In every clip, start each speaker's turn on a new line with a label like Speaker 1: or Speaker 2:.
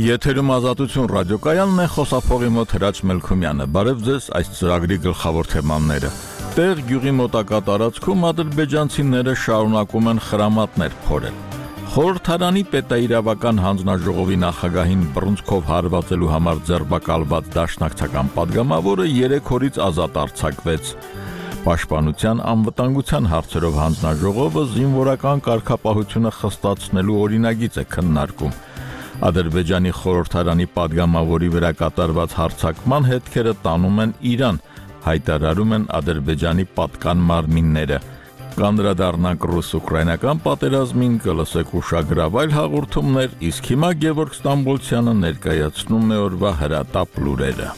Speaker 1: Եթերում ազատություն ռադիոկայանն է, խոսափողի մոտ Հրաչ Մելքումյանը։ Բարև ձեզ, այս ծրագրի գլխավոր թեմաները։ Տեղ գյուղի մոտակա տարածքում ադրբեջանցիները շարունակում են խրամատներ փորել։ Խորհրդարանի պետաիրավական հանձնաժողովի նախագահին բռունցքով հարվածելու համար ձերբակալված դաշնակցական падգամավորը 3 օրից ազատ արձակվեց։ Պաշտպանության անվտանգության հարցերով հանձնաժողովը զինվորական կարգապահությունը խստացնելու օրինագիծ է քննարկում։ Ադրբեջանի խորհրդարանի падգամավորի վրա կատարված հարձակման հետքերը տանում են Իրան, հայտարարում են Ադրբեջանի պատկան մարմինները։ Կանդրադառնանք ռուս-ուկրաինական պատերազմին, կլսեք ուշագրավ այլ հաղորդումներ, իսկ հիմա Գևորգ Ստամբոլցյանը ներկայացնում է օրվա հրատապ լուրերը։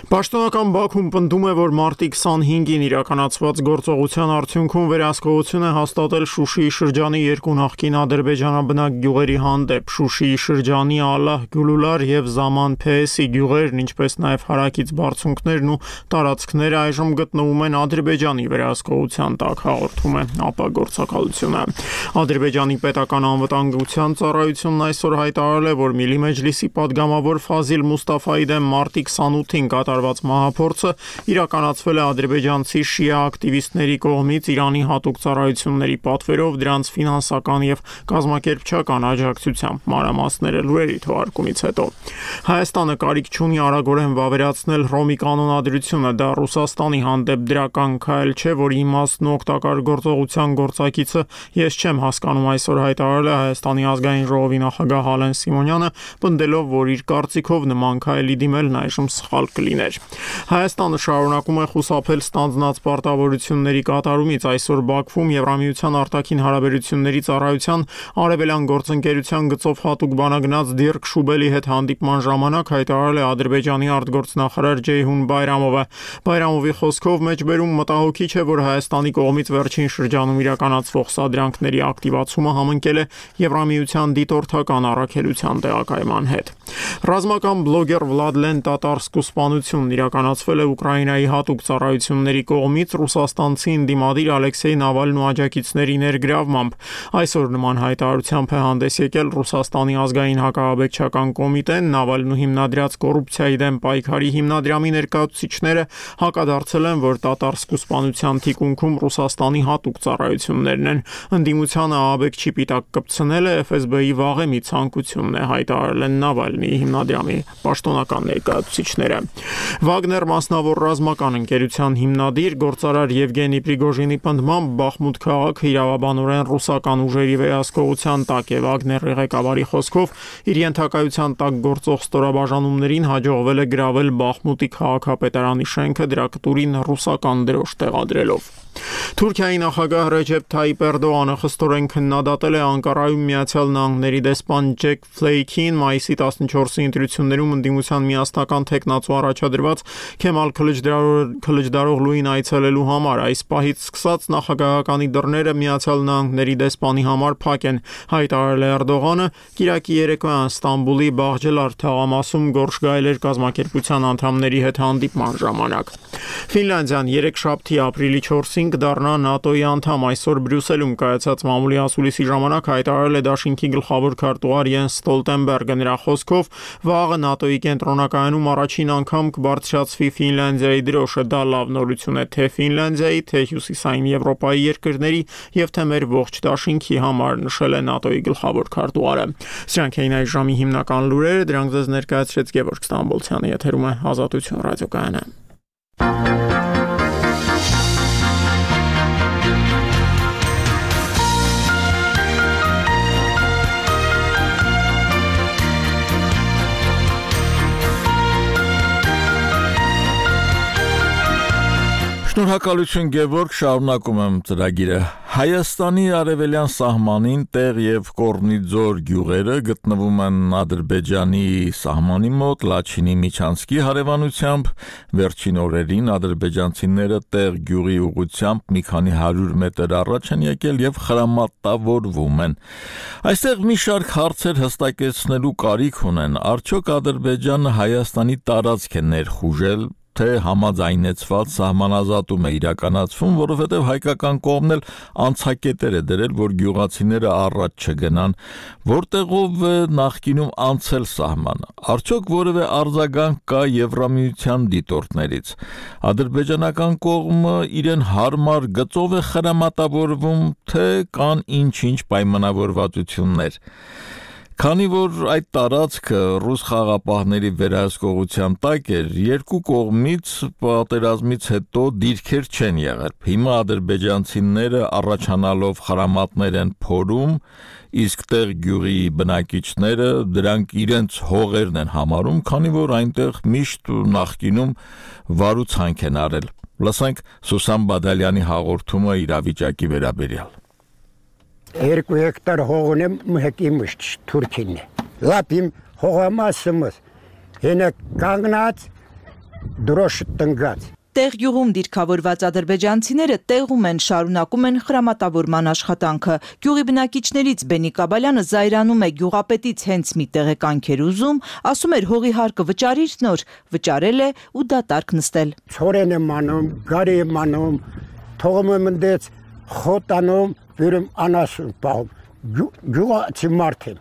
Speaker 2: Պաշտոնական Բաքուն պնդում է, որ մարտի 25-ին իրականացված գործողության արդյունքում վերահսկողություն է հաստատել Շուշիի շրջանի 2 նախկին ադրբեջանաբնակ գյուղերի հանդեպ։ Շուշիի շրջանի Ալահ Գյուլուլար եւ Զաման Փեհեսի գյուղերն, ինչպես նաեւ հարակից բարձունքներն ու տարածքները այժմ գտնվում են Ադրբեջանի վերահսկողության տակ, հաղորդում է ԱՊ գործակալությունը։ Ադրբեջանի պետական անվտանգության ծառայությունն այսօր հայտարարել է, որ Միլի Մեջլիսի падգամավոր Ֆազիլ Մուստաֆայի դեմ մարտի 28-ին մահափորձը իրականացվել է ադրբեջանցի շիա ակտիվիստների կողմից Իրանի հատուկ ծառայությունների պատվերով, դրանց ֆինանսական եւ կազմակերպչական աջակցությամբ։ Մանրամասները լուրերի թողարկումից հետո Հայաստանը կարիք չունի արագորեն վավերացնել Հռոմի կանոնադրությունը, դա Ռուսաստանի հանդեպ դրական քայլ չէ, որի իմաստն ու օգտակար գործողության գործակիցը ես չեմ հասկանում, այսօր հայտարարել է Հայաստանի ազգային ժողովի նախագահ Հալեն Սիմոնյանը, պնդելով, որ իր կարծիքով նման քայլի դիմելն այժմ սխալ կլիներ։ Հայաստանը շարունակում է խուսափել ստանձնած պարտավորությունների կատարումից։ Այսօր Բաքվում Եվրամիության արտաքին հարաբերությունների ծառայության արևելյան գործընկերության գծով հատուկ բանագնաց Դիրք Շուբելի հետ հանդիպման ժամանակ հայտարարել է Ադրբեջանի արտգործնախարար Ջեյհուն Բայրամովը։ Բայրամովի խոսքով մեջբերում մտահոգիչ է, որ Հայաստանի կողմից վերջին շրջանում իրականացվող սադրանքների ակտիվացումը համընկել է Եվրամիության դիտորդական առաքելության տեղակայման հետ։ Ռազմական բլոգեր Վլադլեն Տատարսկու սպանությունն իրականացվել է Ուկրաինայի հատուկ ծառայությունների կողմից ռուսաստանցի ընդդիմադիր Ալեքսեյ Նավալնու աջակիցների ներգրավմամբ։ Այսօր նման հայտարարությամբ է հանդես եկել Ռուսաստանի ազգային հակահաբեկչական կոմիտեն։ Նավալնու հիմնադրած կոռուպցիայի դեմ պայքարի հիմնադրամի ներկայացուցիչները հակադարձել են, որ Տատարսկու սպանության թիկունքում Ռուսաստանի հատուկ ծառայություններն են։ Ընդդիմությանը ահաբեկչի պիտակ կպցնելը FSB-ի վաղեմի ցանկությունն է, հայտարարել են Նավալնիի հիմնադրամի պաշտոնական ներկայացուցիչները։ Վագներ մասնավոր ռազմական ընկերության հիմնադիր գործարար Եվգենի Պրիգոժինի պնդմամբ Բախմուտ քաղաքը իրավաբանորեն ռուսական ուժերի վերահսկողության տակ է։ Վագների ղեկավարի խոսքով իր ենթակայության տակ գործող ստորաբաժանումներին հաջողվել է գրավել Բախմուտի քաղաքապետարանի շենքը, դրա կտուրին ռուսական դրոշ տեղադրելով։ Թուրքիայի նախագահ Ռեջեփ Թայիպ Էրդողանը խստորեն քննադատել է Անկարայում Միացյալ Նահանգների դեսպան Ջեք Ֆլեյքին մայիսի 14-ի ընտրություններում ընդդիմության միասնական թեկնածու առաջադրված Քեմալ Քլիչդարօղլուին այցելելու համար։ Այս պահից սկսած նախագահականի դռները Միացյալ Նահանգների դեսպանի համար փակ են, հայտարարել է Էրդողանը կիրակի երեկոյան Ստամբուլի Բաղջելար թաղամասում Գորշ Գայլեր կազմակերպության անդամների հետ հանդիպման ժամանակ։ Ֆինլանդիան երեքշաբթի ապրիլի 4-ին կդառնա ՆԱՏՕ-ի անդամ։ Այսօր Բրյուսելում կայացած մամուլի ասուլիսի ժամանակ հայտարարել է դաշինքի գլխավոր քարտուղար Յենս Ստոլտենբերգը։ Նրա խոսքով վաղը ՆԱՏՕ-ի կենտրոնակայանում առաջին անգամ կբարձրացվի Ֆինլանդիայի դրոշը։ Դա լավ նորություն է թե Ֆինլանդիայի, թե Հյուսիսային Եվրոպայի երկրների եւ թե մեր ողջ դաշինքի համար, նշել է ՆԱՏՕ-ի գլխավոր քարտուղարը։ Սրանք էին այս ժամի հիմնական լուրերը, դրանք ձեզ ներկայացրեց Գևորգ Ստամբոլցյանը, եթերում է Ազատություն ռադիոկայանը։
Speaker 1: Շնորհակալություն Գևորգ, շարունակում եմ ծրագիրը։ Հայաստանի արևելյան սահմանին Տեղ եւ Կորնիձոր գյուղերը գտնվում են Ադրբեջանի սահմանի մոտ Լաչինի Միչանսկի հարևանությամբ։ Վերջին օրերին ադրբեջանցիները Տեղ գյուղի ուղղությամբ մի քանի 100 մետր առաջ են եկել եւ խրամատավորվում են։ Այստեղ մի շարք հարցեր հստակեցնելու կարիք ունեն։ Արդյոք Ադրբեջանը Հայաստանի տարածք է ներխուժել, թե համաձայնեցված սահմանազատում է իրականացվում, որովհետև հայկական կողմն էլ անցակետեր է դրել, որ գյուղացիները առաջ չգնան, որտեղով է նախկինում անցել սահմանը։ Արդյոք որևէ արձագանք կա Եվրամիության դիտորդներից։ Ադրբեջանական կողմը իրեն հարմար գծով է խրամատավորվում, թե կան ինչ-ինչ պայմանավորվածություններ։ Քանի որ այդ տարածքը ռուս խաղապահների վերահսկողության տակ էր, երկու կողմից պատերազմից հետո դիրքեր չեն եղել։ Հիմա ադրբեջանցիները առաջանալով խրամատներ են փորում, իսկ տեղ գյուղի բնակիչները դրանք իրենց հողերն են համարում, քանի որ այնտեղ միշտ նախկինում վարուցանք են արել։ Լսենք Սուսան Բադալյանի հաղորդումը իրավիճակի վերաբերյալ։
Speaker 3: 2 հեկտար հող ունեմ մհեկի մշտ Թուրքին է։ Լապ իմ հողամասımız հենը կանգնած դրոշ տնգած։
Speaker 4: Տեղ գյուղում դիրքավորված ադրբեջանցիները տեղում են շարունակում են խրամատավորման աշխատանքը։ Գյուղի բնակիչներից Բենի Կաբալյանը զայրանում է գյուղապետից հենց մի տեղեկանք էր ուզում, ասում էր հողի հարկը վճարիր նոր, վճարել է ու դատարկ նստել։
Speaker 3: Ցորեն եմ անում, գարի եմ անում, թողում եմ ընդեց խոտանում Վերում անասուն պահում, գյուղացի մարդ եմ,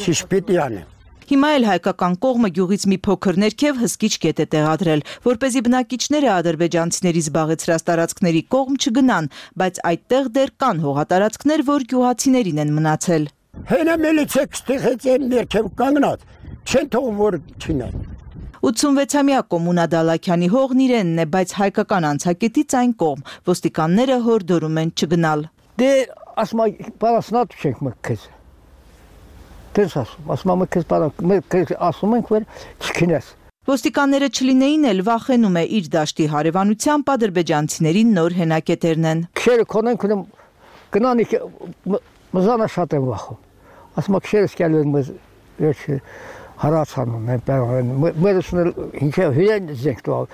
Speaker 3: շիշպիտի անեմ։
Speaker 4: Հիմա էլ հայկական կողմը գյուղից մի փոքր ներքև հսկիչ կետ է տեղադրել, որպեսզի բնակիչները ադրբեջանցիների զբաղեցրած տարածքների կողմ չգնան, բայց այդտեղ դեռ կան հողատարածքներ, որ գյուղացիներին են մնացել։
Speaker 3: Հենա մելիցեք ստեղեց են ներքև կանգնած, չեն թողում որ չինեն։
Speaker 4: 86-ամյա Կոմունա Դալաքյանի հողն իրենն է, բայց հայկական անցակետից այն կողմ, ոստիկանները հորդորում են չգնալ։
Speaker 5: Դե ասма պարասնատ չենք մքես։ Դες ասма մքես ասում ենք որ չքինես։
Speaker 4: Ոստիկանները չլինեին էլ վախենում է իր դաշտի հարևանությամբ ադրբեջանցիների նոր հենակետերն են։
Speaker 5: Քերը կոնենք գնանի մզանա շատ եմ վախում։ Ասма քերս կալու ես հարացանում են մերսնել ինքը հյուրեն զենք տուալ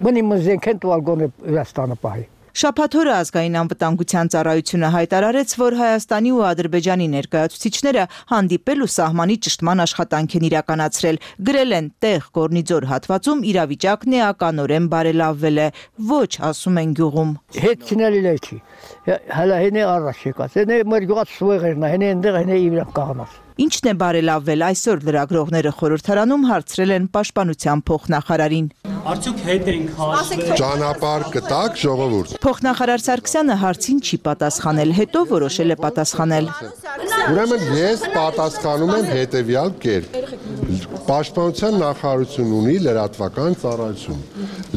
Speaker 5: մնի մզենք են տուալ գոնե Վրաստանը պահի։
Speaker 4: Շաբաթ օրը ազգային անվտանգության ծառայությունը հայտարարեց, որ Հայաստանի ու Ադրբեջանի ներկայացուցիչները հանդիպել ու սահմանի ճշտման աշխատանք են իրականացրել, գրել են տեղ Կորնիձոր հատվածում իրավիճակն էականորեն բարելավվել է, ոչ ասում են գյուղում։
Speaker 5: Հետ չնելի լեքի, հələ հենե առաջ եկած, հենե մեր գյուղած սուեղերն է, հենե ընդեղ հենե իվրան կաղանած։
Speaker 4: Ինչն է բարելավվել այսօր լրագրողները խորհրդարանում հարցրել են պաշտպանության փոխնախարարին։
Speaker 6: Արդյոք հետ ենք հասել։
Speaker 7: Ճանապարհ կտակ ժողովուրդ։
Speaker 4: Փոխնախարար Սարգսյանը հարցին չի պատասխանել, հետո որոշել է պատասխանել։
Speaker 7: Ուրեմն ես պատասխանում եմ հետևյալ կերպ։ Պաշտպանության նախարարությունն ունի լրատվական ծառայություն։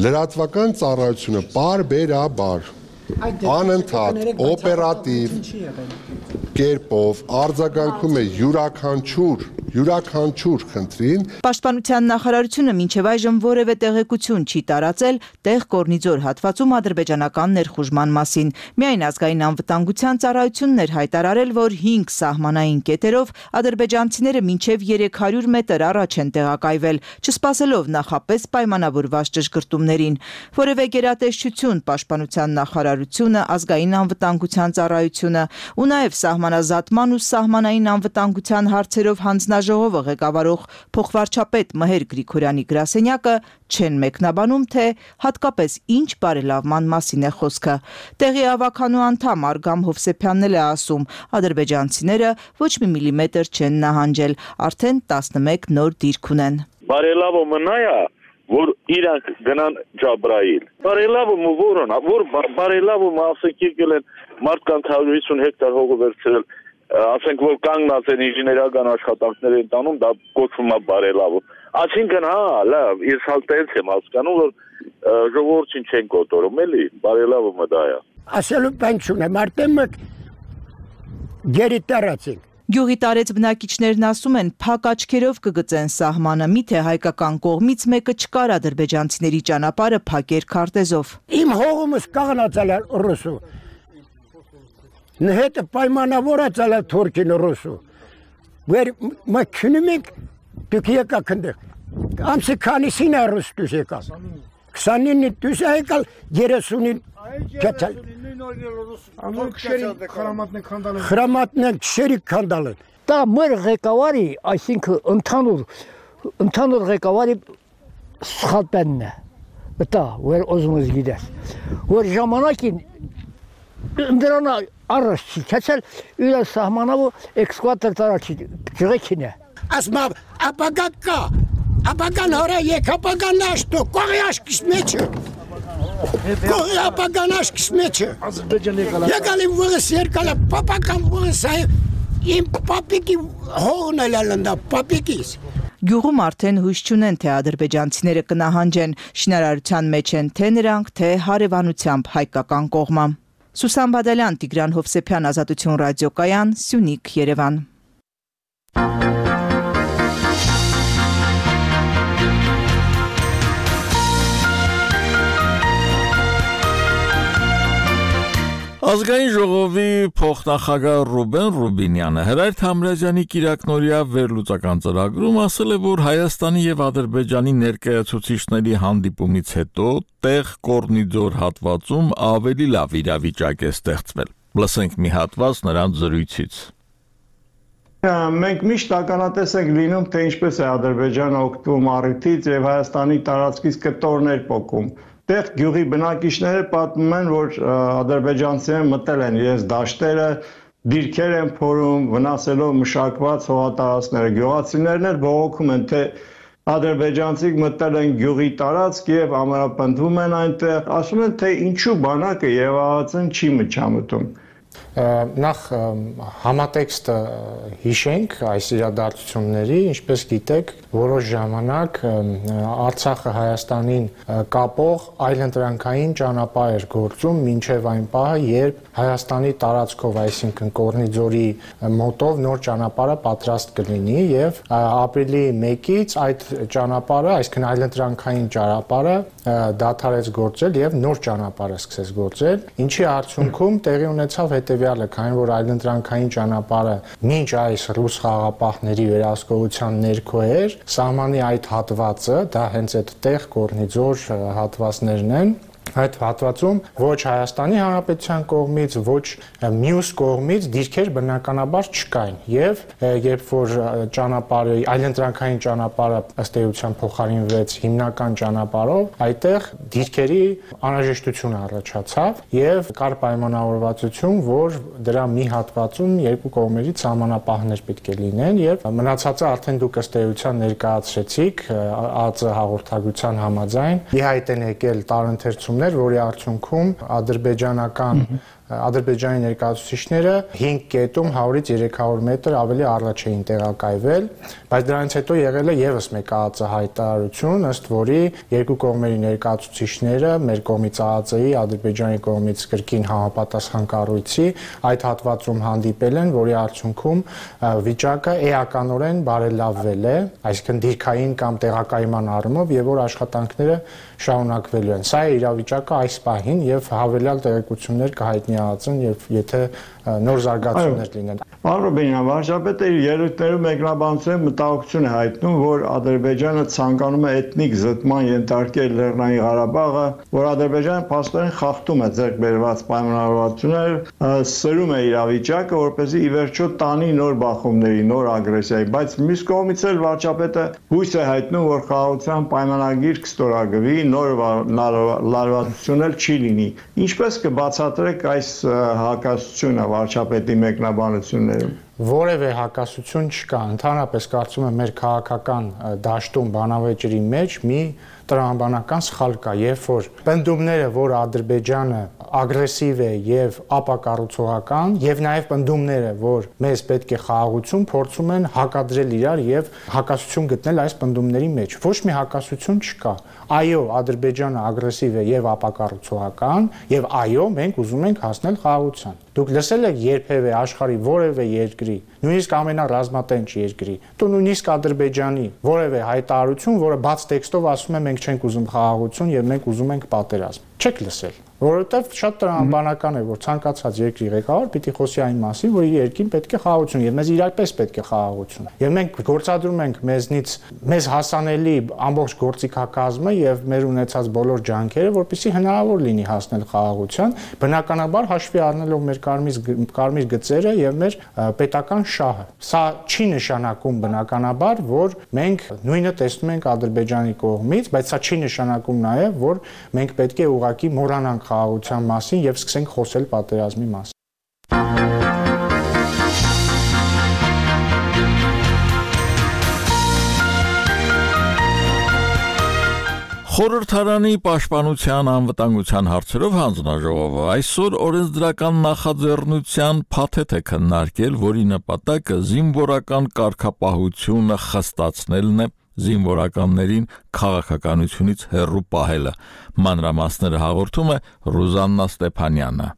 Speaker 7: Լրատվական ծառայությունը բարբերաբար անընդհատ օպերատիվ կերպով արձագանքում է յուրաքանչյուր խնդրին։
Speaker 4: Պաշտպանության նախարարությունը մինչև այժմ որևէ տեղեկություն չի տարածել տեղ Կորնիձոր հատվածում ադրբեջանական ներխուժման մասին։ Միայն ազգային անվտանգության ծառայությունն էր հայտարարել, որ 5 սահմանային կետերով ադրբեջանցիները մինչև 300 մետր առաջ են տեղակայվել, չսպասելով նախապես պայմանավորված ճշգրտումներին։ Որևէ գերատեսչություն պաշտպանության նախարարությունը, ազգային անվտանգության ծառայությունը ու նաև սահմանազատման ու սահմանային անվտանգության հարցերով հանձնաժողովը ղեկավարող փոխվարչապետ Մհեր Գրիգորյանի գրասենյակը չեն մեկնաբանում, թե հատկապես ինչ բարելավման մասին է խոսքը։ Տեղի ավականու անդամ Արգամ Հովսեփյանն էլ է ասում, ադրբեջանցիները ոչ մի միլիմետր չեն նահանջել, արդեն 11 նոր դիրք ունեն։
Speaker 8: Բարելավումը նա է, որ իրանք գնան Ջաբրայիլ։ Բարելավումը որն է, որ բարելավումը ասենք եկել են մարդկանց 150 հեկտար հողը վերցրել, ասենք որ կանգնած են ինժեներական աշխատանքներ են տանում, դա կոչվում է բարելավում։ Այսինքն հա, լավ, ես հալտենց եմ հասկանում, որ ժողովրդին չեն կոտորում, էլի, բարելավումը դա է։
Speaker 3: Ասելու բան չունեմ, արդեն մենք գերի տարածենք։
Speaker 4: Գյուղի տարեց բնակիչներն ասում են, փակ աչքերով կգծեն սահմանը, միթե հայկական կողմից մեկը չկար ադրբեջանցիների ճանապարհը փակեր քարտեզով։
Speaker 3: Իմ հողումս կաղնացել է ռուսու։ Նհետը պայմանավորացել է թուրքին ռուսու։ Վեր մաքնում ենք դուք եկաք ընդեղ։ Ամսի քանիսին է ռուս դուս եկալ։ 29-ին դուս եկալ 30-ին կեցալ։ Խրամատն քշերի քանդալեն։
Speaker 5: Դա մեր ղեկավարի, այսինքն ընդհանուր ղեկավարի սխալբենն է։ Դա որ ուզում ես գիտես։ Որ ժամանակին դրան առաջ չեցել իր սահմանավը էքսկվատոր տարածի ջրեքին է։
Speaker 3: Ասմա ապագա ապագան հորա եկապագան աշտո կողի աշկիս մեջը։ Կողի ապագան աշկիս մեջը։ Եկալի վրս երկալը պապական վրս իմ պապիկի հողն էլ ալանդա պապիկիս։
Speaker 4: Գյուղում արդեն հույս չունեն, թե ադրբեջանցիները կնահանջեն, շինարարության մեջ են թե նրանք, թե հարևանությամբ հայկական կողմը։ Սուսան Բադալյան, Տիգրան Հովսեփյան, Ազատություն ռադիոկայան, Սյունիք, Երևան։
Speaker 1: Ազգային ժողովի փոխնախագահ Ռուբեն Ռուբինյանը Հրայր Թամրազյանի կիրակնօրյա վերլուծական ծրագրում ասել է, որ Հայաստանի եւ Ադրբեջանի ներկայացուցիչների հանդիպումից հետո տեղ Կորնիձոր հատվածում ավելի լավ իրավիճակ է ստեղծվել։ Լսենք մի հատված նրանց զրույցից։
Speaker 2: Մենք միշտ ականատես ենք լինում, թե ինչպես է Ադրբեջանը օգտվում առիթից եւ Հայաստանի տարածքից կտորներ պոկում։ Տեղ գյուղի բնակիչները պատմում են, որ ադրբեջանցիները մտել են իրենց դաշտերը, դիրքեր են փորում, վնասելով մշակված հողատարածքները։ Գյուղացիներն էլ բողոքում են, թե ադրբեջանցիք մտել են գյուղի տարածք եւ ամրապնդվում են այնտեղ, ասում են, թե ինչու բանակը եւ ԱԱԾ-ն չի միջամտում։
Speaker 9: Նախ համատեքստը հիշենք այս իրադարձությունների, ինչպես գիտեք, որոշ ժամանակ Արցախը Հայաստանին կապող այլընտրանքային ճանապարհ էր գործում մինչև այն պահը, երբ Հայաստանի տարածքով, այսինքն Կորնիձորի մոտով նոր ճանապարհը պատրաստ կլինի եւ ապրիլի 1-ից այդ ճանապարհը, այսինքն այլընտրանքային ճանապարհը դադարեց գործել եւ նոր ճանապարհը սկսեց գործել, ինչի արդյունքում տեղի ունեցավ հետևյալը, քանի որ այլընտրանքային ճանապարհը մինչ այս ռուս խաղապահների վերահսկողության ներքո էր, սահմանի այդ հատվածը, դա հենց այդ տեղ Կորնիձոր հատվածներն են, այդ հատվածում ոչ Հայաստանի Հանրապետության կողմից, ոչ մյուս կողմից դիրքեր բնականաբար չկային եւ երբ որ ճանապարհը այլընտրանքային ճանապարհը ըստ էության փոխարինվեց հիմնական ճանապարհով, այդտեղ դիրքերի անհրաժեշտություն առաջացավ եւ կար պայմանավորվածություն, որ դրա մի հատվածում երկու կողմերից սահմանապահներ պետք է լինեն եւ մնացածը արդեն դուք ըստ էության ներկայացրեցիք ԱԱԾ հաղորդագրության համաձայն ի հայտ են եկել տարընթերցումներ, որի արդյունքում Ադրբեջանի ներկայացուցիչները 5 կետում 100-ից 300 մետր ավելի առաջ էին տեղակայվել, բայց դրանից հետո եղել է եւս մեկ ԱԱԾ հայտարարություն, ըստ որի երկու կողմերի ներկայացուցիչները մեր կողմից ԱԱԾ-ի, Ադրբեջանի կողմից կրկին համապատասխան կառույցի այդ հատվածում հանդիպել են, որի արդյունքում վիճակը էականորեն բարելավվել է, այսինքն դիրքային կամ տեղակայման առումով եւ որ աշխատանքները շարունակվելու են։ Սա է իրավիճակը այս պահին եւ հավելյալ տեղեկություններ կհայտնի ԱԱԾ-ն եւ եթե նոր զարգացումներ լինեն։
Speaker 2: Պարոն Ռուբինյան, վարչապետը իր ելույթներում մեկնաբանության մտահոգություն է հայտնում, որ Ադրբեջանը ցանկանում է էթնիկ զտման ենթարկել Լեռնային Ղարաբաղը, որ Ադրբեջանը փաստորեն խախտում է ձեռք բերված պայմանավորվածություններ, սրում է իրավիճակը, որպեսզի ի վերջո տանի նոր բախումների, նոր ագրեսիայի, բայց մյուս կողմից էլ վարչապետը հույս է հայտնում, որ խաղաղության պայմանագիր կստորագրվի, նոր լարվածություն էլ չի լինի։ Ինչպես կբացատրեք այս հակասությունը վարչապետի մեկնաբանություններում։
Speaker 9: Որևէ հակասություն չկա, ընդհանրապես կարծում եմ մեր քաղաքական դաշտում բանավեճերի մեջ մի տրամաբանական սխալ կա, երբ որ պնդումները, որ Ադրբեջանը ագրեսիվ է եւ ապակառուցողական, եւ նաեւ պնդումները, որ մեզ պետք է խաղաղություն, փորձում են հակադրել իրար եւ հակասություն գտնել այս պնդումների մեջ։ Ոչ մի հակասություն չկա։ Այո, Ադրբեջանը ագրեսիվ է եւ ապակառուցողական, եւ այո, մենք ուզում ենք հասնել խաղաղության։ Դուք լսել եք երբևէ աշխարհի որևէ երկրի, նույնիսկ ամենառազմատենչ երկրի, դու նույնիսկ Ադրբեջանի որևէ հայտարարություն, որը բաց տեքստով ասում է մենք չենք ուզում խաղաղություն եւ մենք ուզում ենք պատերազմ։ չեք լսել, որովհետև շատ տրամաբանական է, որ ցանկացած երկրի ղեկավար պիտի խոսի այն մասին, որ իր երկրին պետք է խաղաղություն, եւ մեզ իրապես պետք է խաղաղություն։ Եվ մենք գործադրում ենք մեզնից մեզ հասանելի ամբողջ գործիքակազմը եւ մեր ունեցած բոլոր ջանքերը, որպեսզի հնարավոր լինի հասնել խաղաղության, բնականաբար հաշվի առնելով մեր կարմիր գծերը եւ մեր պետական շահը։ Սա չի նշանակում բնականաբար, որ մենք նույնը տեսնում ենք Ադրբեջանի կողմից, բայց սա չի նշանակում նաեւ, որ մենք պետք է ուղղակի մոռանանք խաղաղության մասին եւ սկսենք խոսել պատերազմի մասին։
Speaker 1: Խորհրդարանի պաշտպանության անվտանգության հարցերով հանձնաժողովը այսօր օրենսդրական նախաձեռնության փաթեթ է քննարկել, որի նպատակը զինվորական կարգապահությունը խստացնելն է, զինվորականներին քաղաքականությունից հեռու պահելը։ Մանրամասները հաղորդում է Ռուզաննա Ստեփանյանը։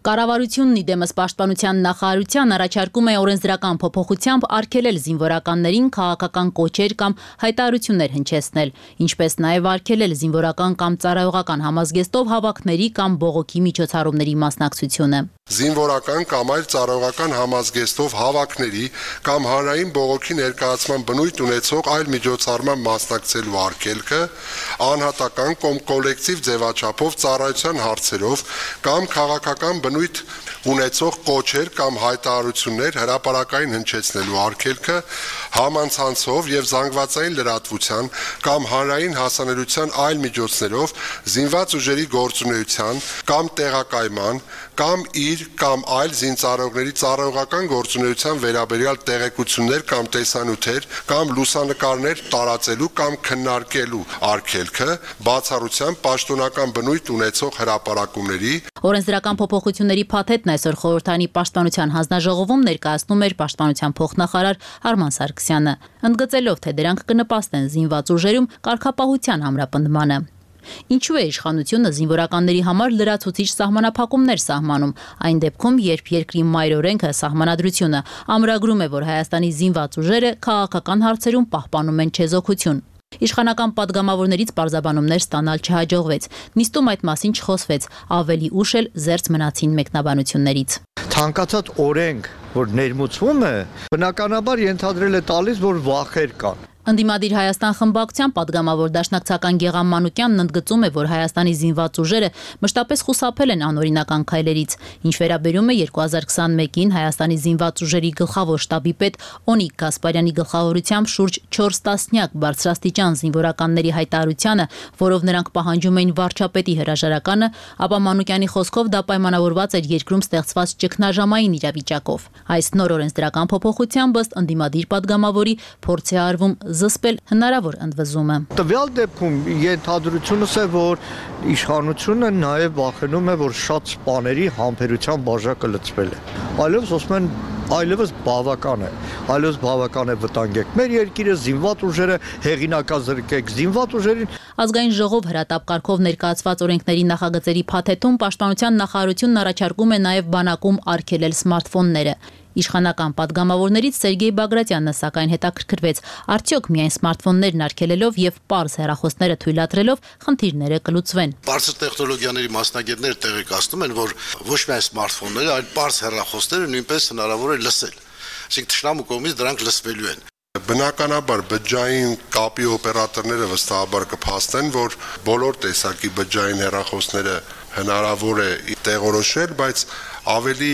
Speaker 10: Կառավարությունն իդեմս պաշտպանության նախարարության առաջարկում է օրենսդրական փոփոխությամբ արգելել զինվորականներին քաղաքական կոչեր կամ հայտարարություններ հնչեցնել, ինչպես նաև արգելել զինվորական կամ ծառայողական համազգեստով հավաքների կամ բողոքի միջոցառումների մասնակցությունը։
Speaker 7: Զինվորական կամ այլ ծառայողական համազգեստով հավաքների կամ հանրային բողոքի ներկայացման բնույթ ունեցող այլ միջոցառման մասնակցելու արգելքը, անհատական կամ կոլեկտիվ ձևաչափով ծառայության հարցերով կամ քաղաքական բնույթ ունեցող կոչեր կամ հայտարարություններ հրապարակային հնչեցնելու արգելքը, համանցանցով եւ զանգվածային լրատվության կամ հանրային հասանելիության այլ միջոցներով զինված ուժերի գործունեության կամ տեղակայման կամ իր կամ այլ զինծառայողների ծառայողական գործունեության վերաբերյալ տեղեկություններ կամ տեսանյութեր կամ լուսանկարներ տարածելու կամ քննարկելու արգելքը, բացառությամբ պաշտոնական բնույթ ունեցող հրապարակումների։
Speaker 10: Օրենսդրական փոփոխությունների փաթեթն այսօր խորհրդարանի պաշտպանության հանձնաժողովում ներկայացնում էր պաշտպանության փոխնախարար Արման Սարգսյանը, ընդգծելով, թե դրանք կնպաստեն զինված ուժերում կարգապահության ամրապնդմանը։ Ինչու է իշխանությունը զինվորականների համար լրացուցիչ սահմանափակումներ սահմանում, այն դեպքում, երբ երկրի մայր օրենքը սահմանադրությունը ամրագրում է, որ Հայաստանի զինված ուժերը քաղաքական հարցերում պահպանում են չեզոքություն։ Իշխանական падգամավորներից պարզաբանումներ ստանալ չհաջողվեց։ Նիստում այդ մասին չխոսվեց, ավելի ուշ էլ զերծ մնացին մեկնաբանություններից։
Speaker 11: Ցանկացած օրենք, որ ներմուծվում է, բնականաբար ենթադրել է տալիս, որ վախեր կան։
Speaker 10: Ընդդիմադիր Հայաստան խմբակցության падգամավոր դաշնակցական Գեղամ Մանուկյանն ընդգծում է, որ Հայաստանի զինված ուժերը մշտապես խուսափել են անօրինական քայլերից, ինչ վերաբերում է 2021-ին Հայաստանի զինված ուժերի գլխավոր շտաբի պետ Օնիկ Գասպարյանի գլխավորությամբ շուրջ 4 տասնյակ բարձրաստիճան զինվորականների հայտարարությանը, որով նրանք պահանջում էին վարչապետի հրաժարականը, ապա Մանուկյանի խոսքով դա պայմանավորված էր երկրում ստեղծված ճգնաժամային իրավիճակով։ Այս նոր օրենսդրական փոփոխությամբ ըստ ընդդիմադիր падգամավորի փորձ է արվում զսպել հնարավոր ընդվզումը։
Speaker 11: Տվյալ դեպքում ենթադրությունս է, որ իշխանությունը նաև վախենում է, որ շատ սպաների համբերության բաժակը լցվել է։ Այլևս ասում են, այլևս բավական է, այլևս բավական է վտանգեք մեր երկիրը, զինված ուժերը հեղինակազրկեք զինված ուժերին։
Speaker 10: Ազգային ժողով հրատապ կարգով ներկայացված օրենքների նախագծերի փաթեթում պաշտպանության նախարարությունն առաջարկում է նաև բանակում արգելել սմարթֆոնները։ Իշխանական падգամավորներից Սերգեյ Բագրատյանը սակայն հետաքրքրվեց, արդյոք միայն սմարթֆոններն արգելելով եւ պարզ հեռախոսները թույլատրելով խնդիրները կլուծվեն։
Speaker 12: Բարձր տեխնոլոգիաների մասնագետները տեղեկացնում են, որ ոչ միայն սմարթֆոնները, այլ պարզ հեռախոսները նույնպես հնարավոր է լսել։ Այսինքն թշնամու կողմից դրանք լսվելու են։
Speaker 7: Բնականաբար բջջային կապի օպերատորները վստահաբար կփաստեն, որ բոլոր տեսակի բջջային հեռախոսները հնարավոր է տեղորոշել, բայց ավելի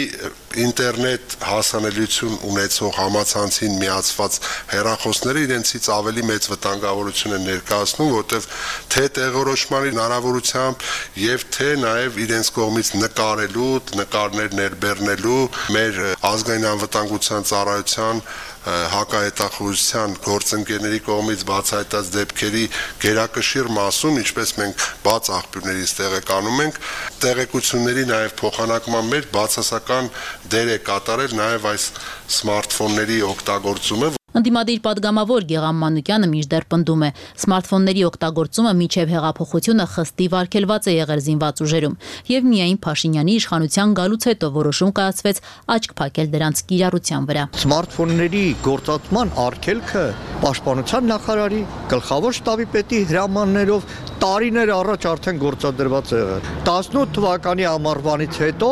Speaker 7: ինտերնետ հասանելիություն ունեցող համացանցին միացված հեռախոսները իրենցից ավելի մեծ վտանգավորություն են ներկայացնում, որտեղ թե տեղորոշման հնարավորությամբ եւ թե նաեւ իրենց կողմից նկարելու, նկարներ ներբեռնելու մեր ազգային անվտանգության ծառայության հակահետախուզության գործընկերների կողմից բացահայտած դեպքերի գերակշիռ մասում, ինչպես մենք բաց աղբյուրներից տեղեկանում ենք, տեղեկությունների նաև փոխանակման մեջ բացասական դեր է կատարել նաև այս սմարթֆոնների օգտագործումը։
Speaker 10: Ընդդիմադիր падգամավոր Գեղամ Մանուկյանը մինչդեռ պնդում է, սմարթֆոնների օգտագործումը մինչև հեղափոխությունը խստիվ արգելված է եղել զինված ուժերում, եւ միայն Փաշինյանի իշխանության գալուց հետո որոշում կայացվեց աչք փակել դրանց կիրառության վրա։
Speaker 11: Սմարթֆոնների գործածման արգելքը պաշտպանության նախարարի գլխավոր շտաբի պետի հրամաններով տարիներ առաջ արդեն գործադրված է եղել։ 18 թվականի ամառվանից հետո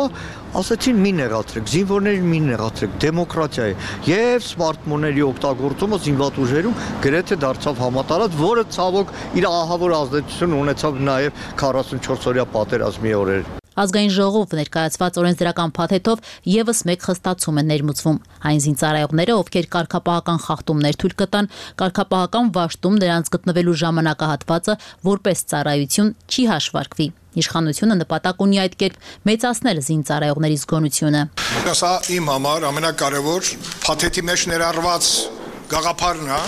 Speaker 11: ասացին մի նեղացրեք, զինվորներին մի նեղացրեք, դեմոկրատիա է եւ սմարթֆոնների օգտագործումը զինված ուժերում գրեթե դարձավ համատարած, որը ցավոք իր ահավոր ազդեցություն ունեցավ նաեւ 44-օրյա պատերազմի օրեր։
Speaker 10: Ազգային ժողով ներկայացված օրենսդրական փաթեթով եւս մեկ խստացում է ներմուծվում։ Այն զինծառայողները, ովքեր կարգապահական խախտումներ թույլ կտան, կարգապահական վաշտում նրանց գտնվելու ժամանակահատվածը որպես ծառայություն չի հաշվարկվի։ Իշխանությունը նպատակ ունի այդ կերպ մեծացնել զինծառայողների զգոնությունը։
Speaker 13: Սա իմ համար ամենակարևոր փաթեթի մեջ ներառված գաղափարն է,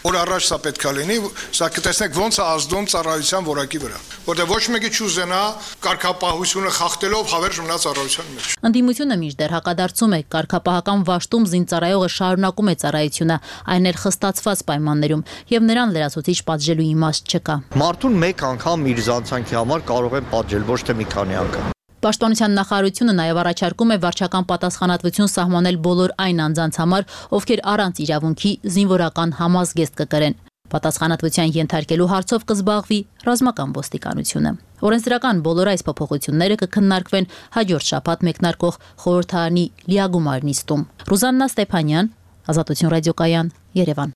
Speaker 13: որ առաջ սա պետք է լինի, սա կտեսնեք ոնց է ազդում ծառայության որակի վրա, որտեղ ոչ մեկի չուզենա կարգապահությունը խախտելով հավերժ մնա ծառայության մեջ։
Speaker 10: Ընդդիմությունը մինչդեռ հակադարձում է, կարգապահական վաշտում զինծառայողը շարունակում է ծառայությունը, այն էլ խստացված պայմաններում, եւ նրան լրացուցիչ պատժելու իմաստ չկա։
Speaker 11: Մարդուն մեկ անգամ իր զանցանքի համար կարող են պատժել, ոչ թե մի քանի անգամ։
Speaker 10: Պաշտպանության նախարարությունը նաև առաջարկում է վարչական պատասխանատվություն սահմանել բոլոր այն անձանց համար, ովքեր առանց իրավունքի զինվորական համազգեստ կկրեն։ Պատասխանատվության ենթարկելու հարցով կզբաղվի ռազմական ոստիկանությունը։ Օրենսդրական բոլոր այս փոփոխությունները կքննարկվեն հաջորդ շաբաթ մեկնարկող խորհրդարանի լիագումար նիստում։ Ռուզաննա Ստեփանյան, Ազատություն ռադիոկայան, Երևան։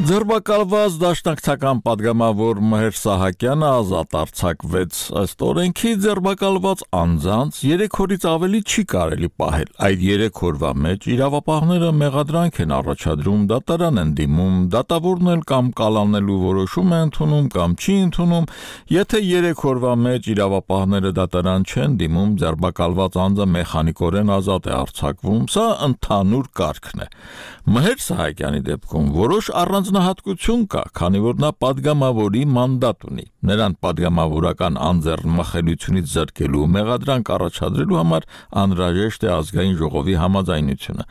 Speaker 1: Ձերբակալված դաշնակցական падգամավոր Մհեր Սահակյանը ազատ արձակվեց։ Ըստ օրենքի ձերբակալված անձանց 3 օրից ավելի չի կարելի պահել։ Այդ 3 օրվա մեջ իրավապահները մեղադրանք են առաջադրում, դատարան են դիմում, դատավորն կամ կալանելու որոշում է ընդունում կամ չի ընդունում։ Եթե 3 օրվա մեջ իրավապահները դատարան չեն դիմում, ձերբակալված անձը մեխանիկորեն ազատ է արձակվում։ Սա ընդհանուր կարգն է։ Մհեր Սահակյանի դեպքում որոշ առանձնահատկություն կա, քանի որ նա падգամավորի մանդատ ունի։ Նրան падգամավորական անձեռնմխելիությունից զրկելու մեղադրանք առաջադրելու համար անհրաժեշտ է ազգային ժողովի համաձայնությունը։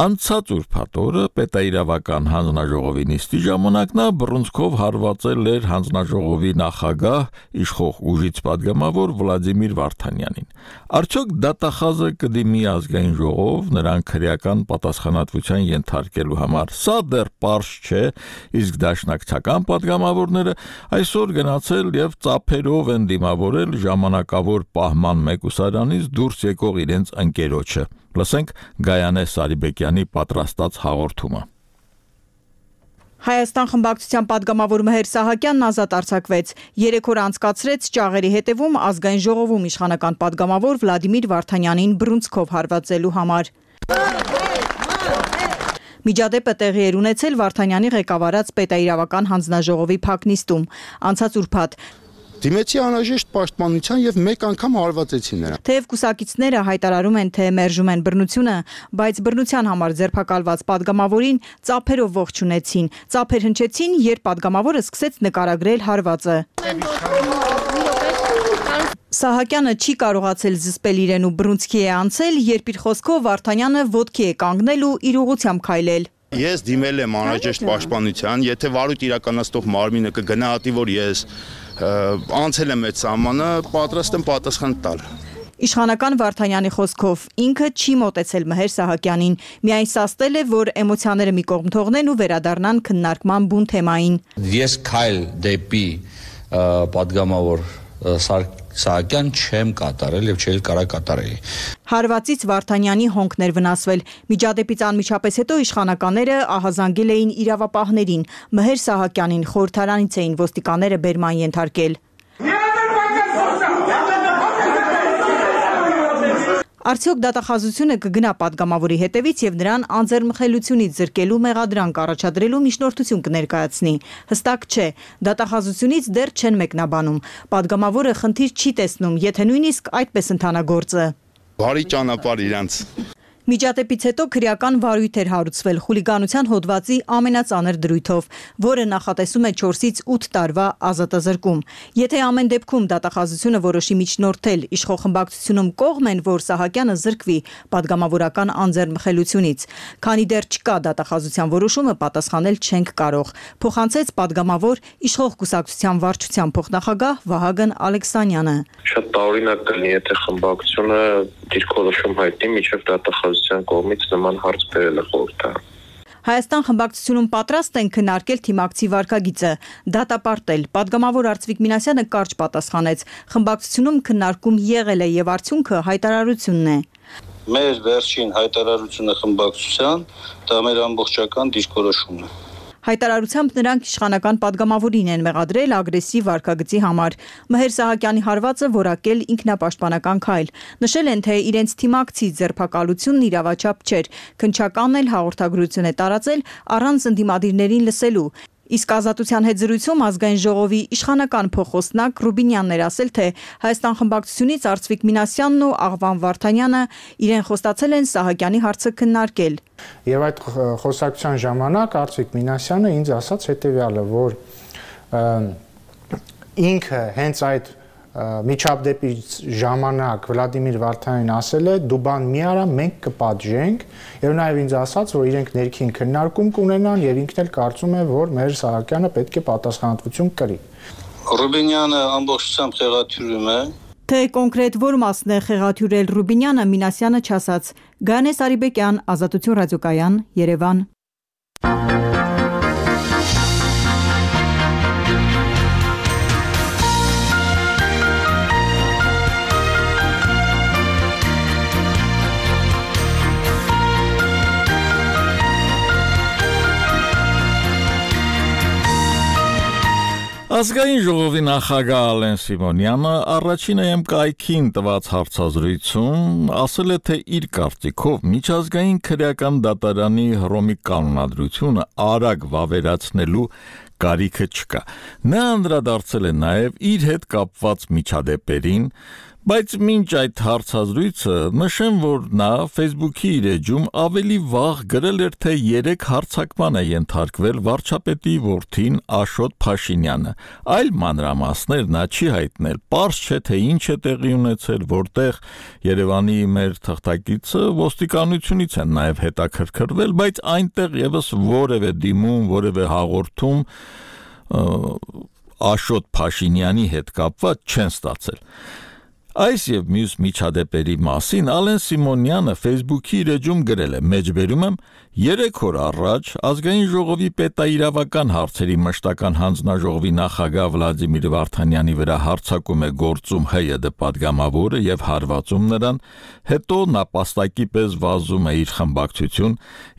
Speaker 1: Անցած ուրբաթ օրը պետաիրավական հանձնաժողովի նիստի ժամանակ նա բռունցքով հարվածել էր հանձնաժողովի նախագահ իշխող ուժից падգամավոր Վլադիմիր Վարդանյանին։ Արդյոք դատախազը կդիմի ազգային ժողով նրան քրեական պատասխանատվության ենթարկելու համար։ Սա դեռ պարզ չէ, իսկ դաշնակցական падգամավորները այսօր գնացել եւ ծափերով են դիմավորել ժամանակավոր պահման մեկուսարանից դուրս եկող իրենց ընկերոջը։ Լսենք Գայանե Սարիբեկյանի պատրաստած հաղորդումը։
Speaker 4: Հայաստան խմբակցության падգամավոր Մհեր Սահակյանն ազատ արձակվեց։ 3 օր անցկացրեց ճաղերի հետևում ազգային ժողովում իշխանական падգամավոր Վլադիմիր Վարդանյանին բռունցքով հարվածելու համար։ Միջադեպը տեղի էր ունեցել Վարդանյանի ղեկավարած պետաիրավական հանձնաժողովի փակնիստում։ Անցած ուրբաթ
Speaker 14: դիմեցի անհրաժեշտ պաշտպանության եւ մեկ անգամ հարվածեցին նրան։
Speaker 4: Թեև կուսակիցները հայտարարում են, թե մերժում են բռնությունը, բայց բռնության համար ձերբակալված падգամավորին ծափերով ողջունեցին։ Ծափեր հնչեցին, երբ падգամավորը սկսեց նկարագրել հարվածը։ Սահակյանը չի կարողացել զսպել իրեն ու բռունցքի է անցել, երբ իր խոսքով Վարդանյանը ոտքի է կանգնել ու իր ուղղությամբ քայլել։
Speaker 14: Ես դիմել եմ անհրաժեշտ պաշտպանության, եթե վարույթ իրականացնող մարմինը կգնահատի, որ ես անցել եմ այդ սահմանը, պատրաստ եմ պատասխան տալ։
Speaker 4: Իշխանական Վարդանյանի խոսքով ինքը չի մոտեցել Մհեր Սահակյանին, միայն սաստել է, որ էմոցիաները մի կողմ թողնեն ու վերադառնան քննարկման բուն թեմային։
Speaker 15: Ես քայլ դեպի падգամավոր Սահակյան չեմ կատարել եւ չէի կարող կատարեի։
Speaker 4: Հարվածից Վարդանյանի հոնքներ վնասվել։ Միջադեպից անմիջապես հետո իշխանականները ահազանգել էին իրավապահներին։ Մհեր Սահակյանին խորհրդարանից էին ոստիկանները բերման ենթարկել։ Արդյոք դատախազությունը կգնա падգամավորի հետևից եւ նրան անձեռնմխելիությունից զրկելու մեղադրանք առաջադրելու միջնորդություն կներկայացնի։ Հստակ չէ, դատախազությունից դեռ չեն մեկնաբանում։ Падգամավորը խնդիր չի տեսնում, եթե նույնիսկ այդպես ընթանա գործը։
Speaker 14: Բարի ճանապարհ իրանց։
Speaker 4: Միջադեպից հետո քրեական վարույթ էր հարուցվել խուլիգանության հոդվածի ամենածանր դրույթով, որը նախատեսում է 4-ից 8 տարվա ազատազրկում։ Եթե ամեն դեպքում դատախազությունը որոշի միջնորդել, իշխող խմբակցությունում կողմ են, որ Սահակյանը զրկվի падգամավորական անձեռնմխելիությունից, քանի դեռ չկա դատախազության որոշումը, պատասխանել չենք կարող, փոխանցեց падգամավոր իշխող կուսակցության վարչության փոխնախագահ Վահագն Ալեքսանյանը։
Speaker 16: Շատ տարօրինակ կլինի, եթե խմբակցությունը դիրքորոշում հայտնի միջև դատախազության կառավարության կողմից նման հարց բերելը խորհրդարան։
Speaker 4: Հայաստան խմբակցությունում պատրաստ են քննարկել թիմակցի վարքագիծը, դատապարտել։ Պատգամավոր Արծվիկ Մինասյանը կարճ պատասխանեց. խմբակցությունում քննարկում եղել է եւ արդյունքը հայտարարությունն է։
Speaker 15: Մեր վերջին հայտարարությունը խմբակցության դա մեր ամբողջական դիրքորոշումն է։
Speaker 4: Հայտարարությամբ նրանք իշխանական падգամավորին են մեղադրել ագրեսիվ վարքագծի համար։ Մհեր Սահակյանի հարվածը որակել ինքնապաշտպանական քայլ։ Նշել են, թե իրենց թիմակցի ձերբակալությունն իրավաչափ չէր։ Քննչականն էլ հաղորդագրություն է տարածել առանց ընդդիմադիրներին լսելու։ Իսկ Ազատության հետ զրույցում ազգային ժողովի իշխանական փոխոստնակ Ռուբինյանն էր ասել, թե Հայաստան խմբակցությունից Արծվիկ Մինասյանն ու Աղվան Վարդանյանը իրեն խոստացել են Սահակյանի հարցը քննարկել։
Speaker 9: Եվ այդ խոսակցության ժամանակ Արծվիկ Մինասյանը ինձ ասաց հետևյալը, որ ինքը հենց այդ միջապդեպի ժամանակ Վլադիմիր Վարդանյանին ասել է դու բան մի արա, մենք կպատժենք, եւ նաեւ ինձ ասաց, որ իրենք ներքին քննարկում կունենան եւ ինքն էլ կարծում է, որ մեր Սահակյանը պետք է պատասխանատվություն կրի։
Speaker 15: Ռուբինյանը ամբողջությամբ խեղաթյուրում է։
Speaker 4: Թե կոնկրետ որ մասն է խեղաթյուրել Ռուբինյանը, Մինասյանը չասաց։ Գայանե Սարիբեկյան, Ազատություն ռադիոկայան, Երևան։
Speaker 1: Ազգային ժողովի նախագահ Ալեն Սիմոնյանը առաջին կայքին տված հարցազրույցում ասել է, թե իր կարծիքով միջազգային քրեական դատարանի Հռոմի կանոնադրությունը արագ վավերացնելու կարիքը չկա։ Նա անդրադարձել է նաև իր հետ կապված միջադեպերին, բայց մինչ այդ հարցազրույցը նշեմ, որ նա Facebook-ի իր էջում ավելի վաղ գրել էր, թե 3 հարձակման է ենթարկվել վարչապետի որդին Աշոտ Փաշինյանը։ Այլ մանրամասներ նա չի հայտնել։ Պարզ չէ, թե ինչ է տեղի ունեցել, որտեղ Երևանի մեր թղթակիցը ոստիկանությունից են նաև հետաքրքրվել, բայց այնտեղ եւս որևէ դիմում, որևէ հաղորդում Աշոտ Փաշինյանի հետ կապված չեն ստացել։ Այս եւ մյուս միջադեպերի մասին Ալեն Սիմոնյանը Facebook-ի իր էջում գրել է. մեջբերում եմ 3 օր առաջ ազգային ժողովի պետաիրավական հարցերի մշտական հանձնաժողովի նախագահ Վլադիմիր Վարդանյանի վրա հարձակում է գործում ՀՅԴ падգամավորը եւ հարվածում նրան, հետո նապաստակի պես վազում է իր խմբակցություն,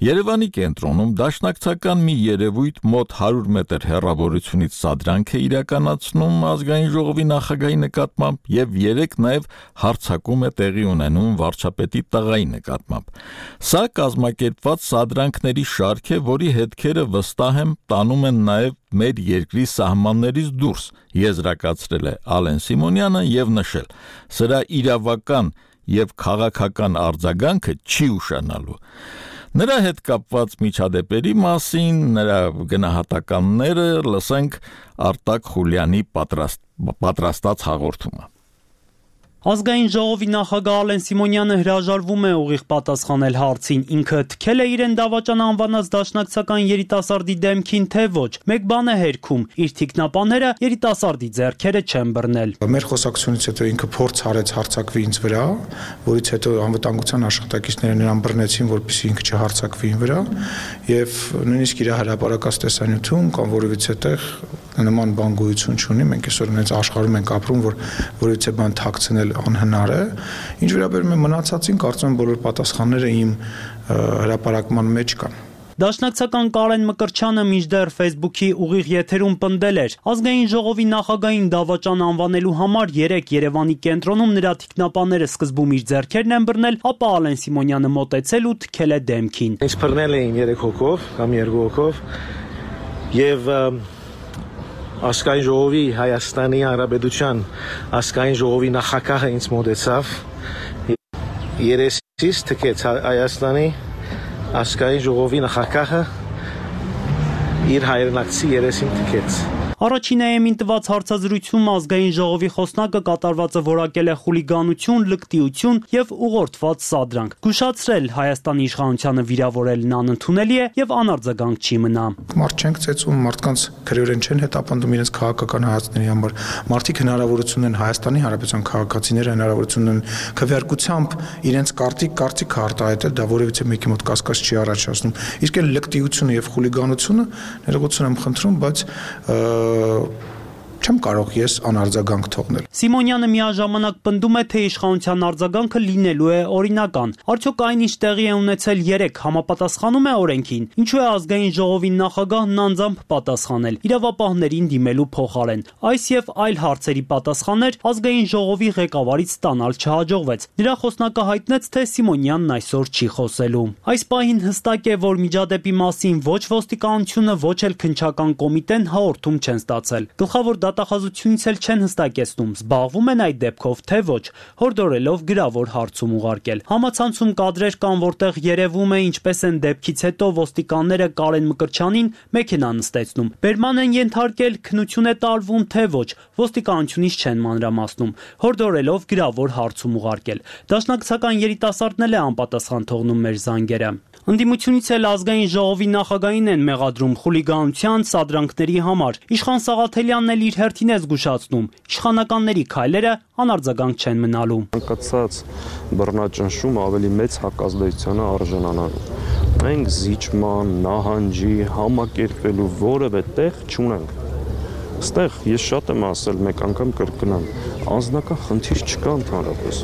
Speaker 1: Երևանի կենտրոնում դաշնակցական մի երևույթ մոտ 100 մետր հեռավորությունից սադրանք է իրականացնում ազգային ժողովի նախագահի նկատմամբ եւ 3 նաև հարձակում է տեղի ունենում վարչապետի տղայի նկատմամբ։ Սա կազմակերպված սադրանքների շարք է, որի հետքերը վստահ եմ տանում են նաև մեր երկրի սահմաններից դուրս, եզրակացրել է Ալեն Սիմոնյանը եւ նշել. սրա իրավական եւ քաղաքական արձագանքը չի ուշանալու։ Նրա հետ կապված միջադեպերի մասին, նրա գնահատականները լսենք Արտակ Խուլյանի պատրաստած հաղորդումը։
Speaker 6: Ազգային ժողովի նախագահ Ալեն Սիմոնյանը հրաժարվում է ուղիղ պատասխանել հարցին, ինքը թքել է իրեն դավաճան անվանած դաշնակցական երիտասարդի դեմքին, թե ոչ, մեկ բան է հերքում, իր թիկնապանները երիտասարդի ձեռքերը չեն բռնել։
Speaker 13: Մեր խոսակցությունից հետո ինքը փորձ արեց հարձակվի ինձ վրա, որից հետո անվտանգության աշխատակիցները նրան բռնեցին, որպեսզի ինքը չհարձակվի ին վրա, եւ նույնիսկ իր հրապարակած տեսանյութում կամ որևիցե տեղ նման բան գոյություն չունի, մենք այսօր այնց աշխարհում ենք ապրում, որ որևիցե բան թաքցնել անհնար է։ Ինչ վերաբերում է մնացածին, կարծում եմ բոլոր պատասխանները իմ հրապարակման մեջ կան։
Speaker 6: Դաշնակցական Կարեն Մկրտչյանը մինչդեռ Facebook-ի ուղիղ եթերում պնդել էր. ազգային ժողովի նախագահին դավաճան անվանելու համար 3 Երևանի կենտրոնում նրա թիկնապանները սկզբում իր ձեռքերն են բռնել, ապա Ալեն Սիմոնյանը մոտեցել ու թքել է դեմքին։
Speaker 17: Ինձ բռնել էին 3 հոգով կամ 2 հոգով եւ ազգային ժողովի Հայաստանի Հանրապետության ազգային ժողովի նախագահը ինձ մոտեցավ երեսից թքեց Հայաստանի ազգային ժողովի նախագահը իր հայրենակցի երեսին թքեց։
Speaker 6: Առաջին AM-ին տված հարցազրույցում ազգային ժողովի խոսնակը կատարվածը որակել է խուլիգանություն, լկտիություն եւ ուղղորդված սադրանք։ Զգուշացրել Հայաստանի իշխանությանը վիրավորելն անընդունելի է եւ անարձագանք չի մնա։
Speaker 13: Մարդ չենք ծեծում, մարդկանց քրեորեն չեն հետապնդում իրենց քաղաքական հայացքների համար։ Մարդիկ հնարավորություն են Հայաստանի Հանրապետության քաղաքացիները հնարավորություն են քվեարկությամբ իրենց կարծիք արտահայտել, դա որևիցե մեկի մոտ կասկած չի առաջացնում։ Իսկ այն լկտիությունը եւ խուլիգանությունը ներողություն եմ խնդրում, բայց չեմ կարող ես անարձագանք թողնել։
Speaker 6: Սիմոնյանը միաժամանակ պնդում է, թե իշխանության արձագանքը լինելու է օրինական։ Արդյոք այն ինչ տեղի է ունեցել 3 համապատասխանում է օրենքին։ Ինչու է ազգային ժողովի նախագահն անձամբ պատասխանել իրավապահներին դիմելու փոխարեն։ Այս եւ այլ հարցերի պատասխաններ ազգային ժողովի ղեկավարից ստանալ չհաջողվեց։ Նրա խոսնակը հայտնեց, թե Սիմոնյանն այսօր չի խոսելու։ Այս պահին հստակ է, որ միջադեպի մասին ոչ ոստիկանությունը, ոչ էլ քննչական կոմիտեն հաղորդում չեն ստացել։ Գլխավոր դատախազությունից էլ չեն հստակեցնում, զբաղվում են այդ դեպքով, թե ոչ, հորդորելով գրավոր հարցում ուղարկել։ Համացանցում կադրեր կան, որտեղ երևում է ինչպես են դեպքից հետո ոստիկանները Կարեն Մկրտչյանին մեքենա նստեցնում։ Բերման են ենթարկել, քննություն է տարվում, թե ոչ, ոստիկանությունից չեն մանրամասնում, հորդորելով գրավոր հարցում ուղարկել։ Դաշնակցական երիտասարդն էլ է անպատասխան թողնում մեր զանգերը։ Ընդդիմությունից էլ ազգային ժողովի նախագահին են մեղադրում խուլիգանության սադրանքների համար։ Իշխան Սաղաթելյանն էլ իր հերթին է զգուշացնում, իշխանականների քայլերը անարձագանք չեն մնալու։
Speaker 18: Անկացած բռնաճնշում ավելի մեծ հակազդեցության արժանանալու։ Մենք զիջման, նահանջի, համակերպելու որևէ տեղ չունենք։ Այստեղ ես շատ եմ ասել, մեկ անգամ կրկնեմ, անձնական խնդիր չկա ընդհանրապես։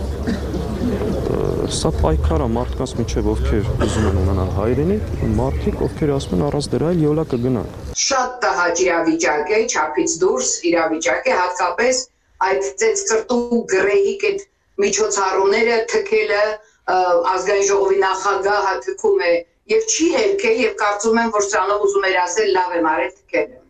Speaker 18: Սա պայքար է մարդկանց միջև, ովքեր ուզում են ունենալ հայրենիք, մարդիկ, ովքեր ասում են առանց դրա էլ յոլա կգնանք։
Speaker 19: Շատ տհաճ իրավիճակ է, չափից դուրս իրավիճակ է, հատկապես այդ ծեծկրտու գրեհիկ այդ միջոցառումները թքելը ազգային ժողովի նախագահը թքում է եւ չի հերքել եւ կարծում եմ, որ սրանով ուզում էր ասել լավ եմ արել թքելը։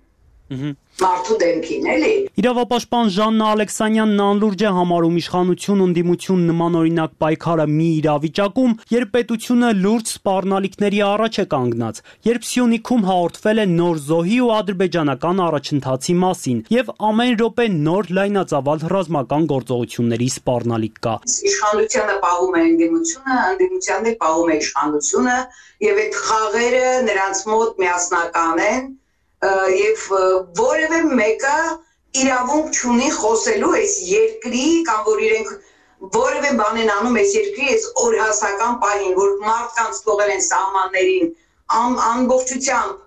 Speaker 19: Մարդու դեմքին էլի։
Speaker 6: Իրավապաշտպան Ժաննա Ալեքսանյանն անլուրջ է համարում իշխանություն ընդդիմություն նմանօրինակ պայքարը մի իրավիճակում, երբ պետությունը լուրջ սպառնալիքների առաջ է կանգնած, երբ Սյունիքում հաղորդվել է նոր զոհի ու ադրբեջանական առաջընթացի մասին եւ ամեն րոպե նոր լայնածավալ ռազմական գործողությունների սպառնալիք կա։
Speaker 19: Իշխանությունը պահում է ընդդիմությունը, ընդդիմությանն էլ պահում է իշխանությունը եւ այդ խաղերը նրանց մոտ միասնական են եւ որևէ մեկը իրավունք չունի խոսելու այս երկրի կամ որ իրենք որևէ բան են անում այս երկրի այս օրհասական պահին, որ մարդկանց թողել են սահմաններին ամբողջությամբ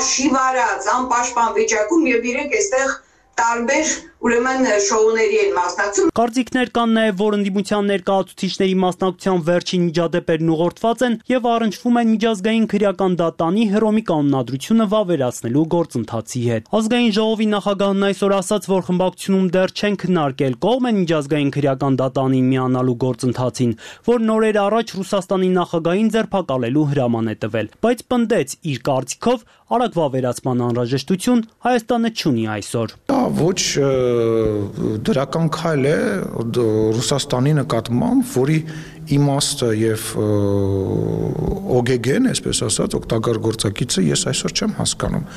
Speaker 19: շիվարած, անպաշտպան վիճակում եւ իրենք այստեղ տարբեր ուրեմն շոուների են մասնակցում։
Speaker 6: Կարծիքներ կան նաև, որ ընդդիմության ներկայացուցիչների մասնակցության վերջին միջադեպերն ուղղորդված են եւ առնչվում են միջազգային քրեական դատանի Հռոմի կանոնադրությունը վավերացնելու գործընթացի հետ։ Ազգային ժողովի նախագահն այսօր ասաց, որ խմբակցությունում դեռ չեն քննարկել կողմ են միջազգային քրեական դատանին միանալու գործընթացին, որ նորեր առաջ Ռուսաստանի նախագահին ձերբակալելու հրաման է տվել, բայց պնդեց իր կարծիքով արագ վավերացման անհրաժեշտություն Հայաստանը չունի այսօր։
Speaker 13: Դա ոչ դրական քայլ է Ռուսաստանի նկատմամբ, որի իմաստը եւ օգեգեն, այսպես ասած, օգտակար գործակիցը ես այսօր չեմ հասկանում։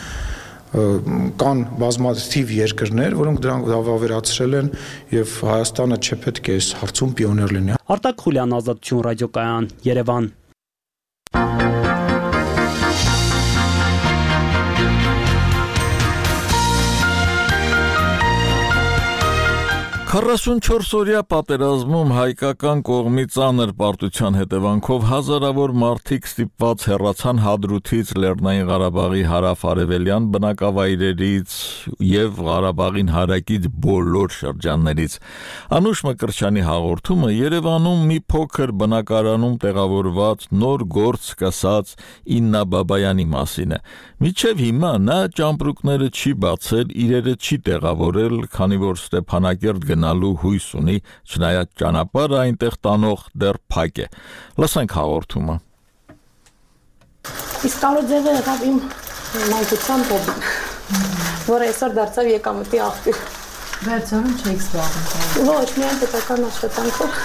Speaker 13: Կան բազմաթիվ երկրներ, որոնք դրանք վավերացրել են եւ Հայաստանը չպետք է այս հարցում պիոներ լինի։
Speaker 6: Արտակ Խուլյան, Ազատություն ռադիոկայան, Երևան։
Speaker 1: 44-օրյա պատերազմում հայկական կողմի ծանր պարտության հետևանքով հազարավոր մարդիկ ստիպված հեռացան Հադրութից, Լեռնային Ղարաբաղի հարավ-արևելյան բնակավայրերից եւ Ղարաբաղին հարակից բոլոր շրջաններից։ Անուշ Մկրտչյանի հաղորդումը Երևանում մի փոքր բնակարանում տեղավորված նոր գործ սկսած Իննա Բաբայանի մասին է։ Մինչև հիմա նա ճամպրուկները չի բացել, իրերը չի տեղավորել, քանի որ Ստեփանակերտ գնալու հույս ունի, չնայած ճանապարհը այնտեղ տանող դեռ փակ է։ Լսենք հաղորդումը։
Speaker 20: Իսկ άλλο ձևը եղավ իմ մանկության հոբբի, որը այսօր դարձավ եկամտի աղբյուր։ Վերջանում չեք զբաղվում։ Ոչ, միայն պետական աշխատանքով։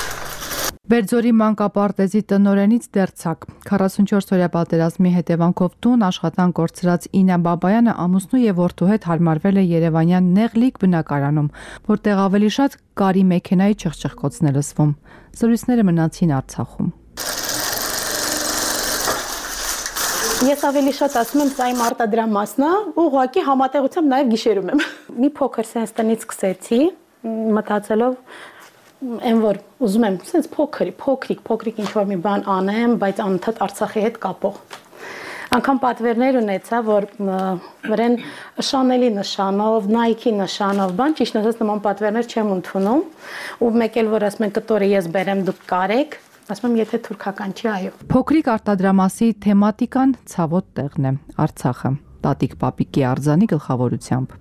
Speaker 21: Բերձորի մանկապարտեզի տնօրենից դերձակ 44-օրյա պատերազմի հետևանքով տուն աշխատանք կորցրած Ինա Բաբայանը ամուսնու եւ որդու հետ հարմարվել է Երևանյան Նեղլիկ բնակարանում, որտեղ ավելի շատ կարի մեքենայի չխչխկոցն է լսվում։ Զրույցները մնացին Արցախում։
Speaker 20: Ես ավելի շատ ասում եմ, սա իմ արտադրամասն է, ուղղակի համատեղությամբ նաև գիշերում եմ։ Մի փոքր sense տնից սկսեցի, մտածելով այն որ ուզում եմ sense փոքրիկ ինչ-որ մի բան անեմ, բայց անընդհատ Արցախի հետ կապող։ Անկամ պատվերներ ունեցա, որ վրան Շանելի նշանով, Nike նշանով, բան ճիշտ ասած նման պատվերներ չեմ ընդունում, ու մեկ էլ որ ասում են կտորը ես բերեմ դուք կարեք, ասում եմ եթե թուրքական չի, այո։
Speaker 21: Փոքրիկ արտադրամասի թեմատիկան ցավոտ տեղն է, Արցախը, Տատիկ Պապիկի արձանի գլխավորությամբ։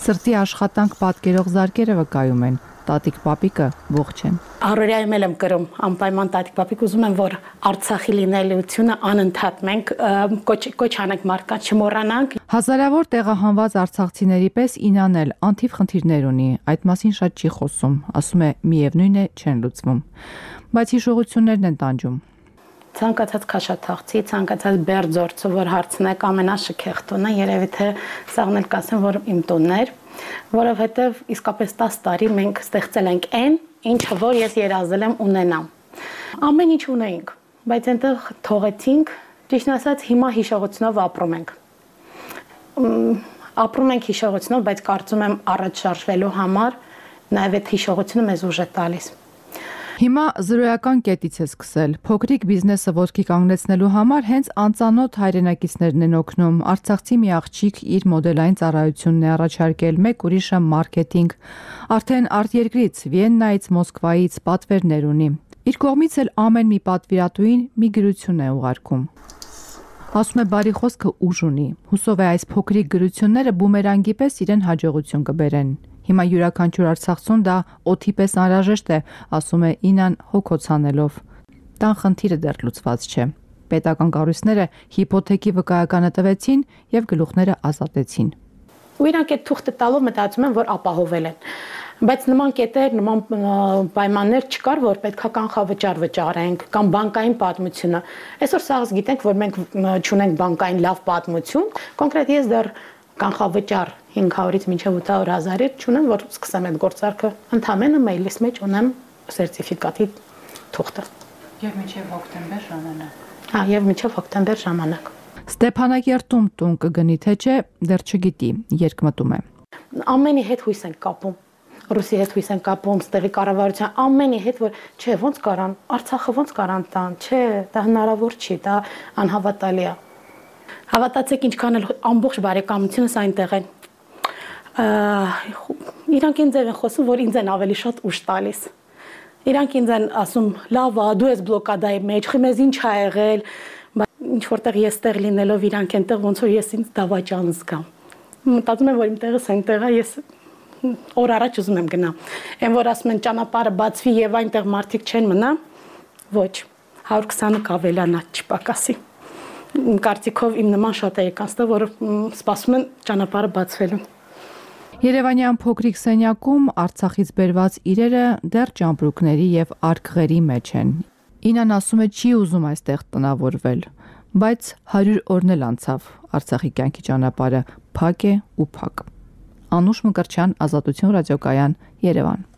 Speaker 21: Սրտի աշխատանք պատկերող զարկերը վկայում են, Տատիկ Պապիկը ողջ են։
Speaker 20: Առօրյայում եմ կրում անպայման Տատիկ Պապիկ, ուզում եմ որ Արցախի լինելիությունը անընդհատ մենք կոչ անենք մարդկանց չմոռանանք։
Speaker 21: Հազարավոր տեղահանված արցախցիների պես Ինան էլ անթիվ խնդիրներ ունի, այդ մասին շատ չի խոսում, ասում է միևնույն է չեն լուծվում, բայց հիշողություններն են տանջում։
Speaker 20: Ցանկացած քաշաթաղցի, ցանկացած բերձորցը, որ հարցնեք ամենաշքեղ տունը, երևի թե սաղն էլ կասեմ, որ իմ տունն էր, որովհետև իսկապես 10 տարի մենք ստեղծել ենք այն, ինչը որ ես երազել եմ ունենամ։ Ամեն ինչ ունեինք, բայց այնտեղ թողեցինք, ճիշտ ասած հիմա հիշողությունով ապրում ենք։ Ապրում ենք հիշողությունով, բայց կարծում եմ առաջ շարժվելու համար նաև այդ հիշողությունը մեզ ուժ է տալիս։
Speaker 21: Հիմա զրոյական կետից է սկսել։ Փոքրիկ բիզնեսը ոտքի կանգնեցնելու համար հենց անծանոթ հայրենակիցներն են օգնում։ Արցախցի մի աղջիկ իր մոդելային ծառայությունն է առաջարկել, մեկ ուրիշը մարքեթինգ։ Արդեն արտերկրից, Վիեննայից, Մոսկվայից պատվերներ ունի։ Իր կողմից էլ ամեն մի պատվիրատուին մի գրություն է ուղարկում։ Ասում է բարի խոսքը ուժ ունի։ Հուսով է այս փոքրիկ գրությունները բումերանգի պես իրեն հաջողություն կբերեն։ Հիմա յուրաքանչյուր արցախցուն դա օդի պես անհրաժեշտ է, ասում է Ինան հոգոց անելով։ Տան խնդիրը դեռ լուծված չէ։ Պետական կառույցները հիփոթեքի վկայականը տվեցին եւ գլուխները ազատեցին։
Speaker 20: Ու իրանք այդ թուղթը տալով մտածում են, որ ապահովել են։ Բայց նման կետեր, նման պայմաններ չկար, որ պետքա կանխավճար վճարենք կամ բանկային պատմությունը։ Այսօր սաղս գիտենք, որ մենք չունենք բանկային լավ պատմություն, կոնկրետ ես դեռ կանխավճար 500-ից մինչև 800,000 չունեմ, որ սկսեմ այդ գործարքը։ Ընդամենը մեյլիս մեջ ունեմ սերտիֆիկատի թուղթը։
Speaker 21: Եվ մինչև հոկտեմբեր ժամանակ։
Speaker 20: Հա, եւ մինչև հոկտեմբեր ժամանակ։
Speaker 21: Ստեփանակերտում տուն կգնի թե չէ, դեռ չգիտի, երկմտում է։
Speaker 20: Ամենի հետ հույս ենք կապում։ Ռուսի հետ հույս են կապում, ստեղի կառավարության ամենի հետ, որ չէ, ոնց կարան, Արցախը ոնց կարան տան, չէ, դա հնարավոր չի, դա անհավատալի է։ Հավատացեք, ինչքան էլ ամբողջ բարեկամությունս այնտեղ են։ Իրանք ինձ են խոսում, որ ինձ են ավելի շատ ուժ տալիս։ Իրանք ինձ են ասում, լավ է, դու ես բլոկադայի մեջ, խմեզ ինչ ա եղել, ինչ որտեղ ես տեղ լինելով իրանք այնտեղ ոնց որ ես ինձ դավաճան զգամ։ Մտածում եմ, որ իմ տեղս այնտեղ է, ես օր առաջ ուզում եմ գնամ։ Այն որ ասում են ճանապարհը բացվի եւ այնտեղ մարդիկ չեն մնա, ոչ, 120-ը կավելանա, չպակասի։ Իմ կարծիքով իմ նման շատ է եկան, որ սպասում են ճանապարհը բացվելուն։
Speaker 21: Երևանյան փոքրիկ սենյակում Արցախից բերված իրերը դեռ ճամպրուկների եւ արկղերի մեջ են։ Ինան ասում է չի ուզում այստեղ տնավորվել, բայց 100 օրն էլ անցավ Արցախի կյանքի ճանապարհը փակ է ու փակ։ Անուշ Մկրտչյան, Ազատություն ռադիոկայան, Երևան։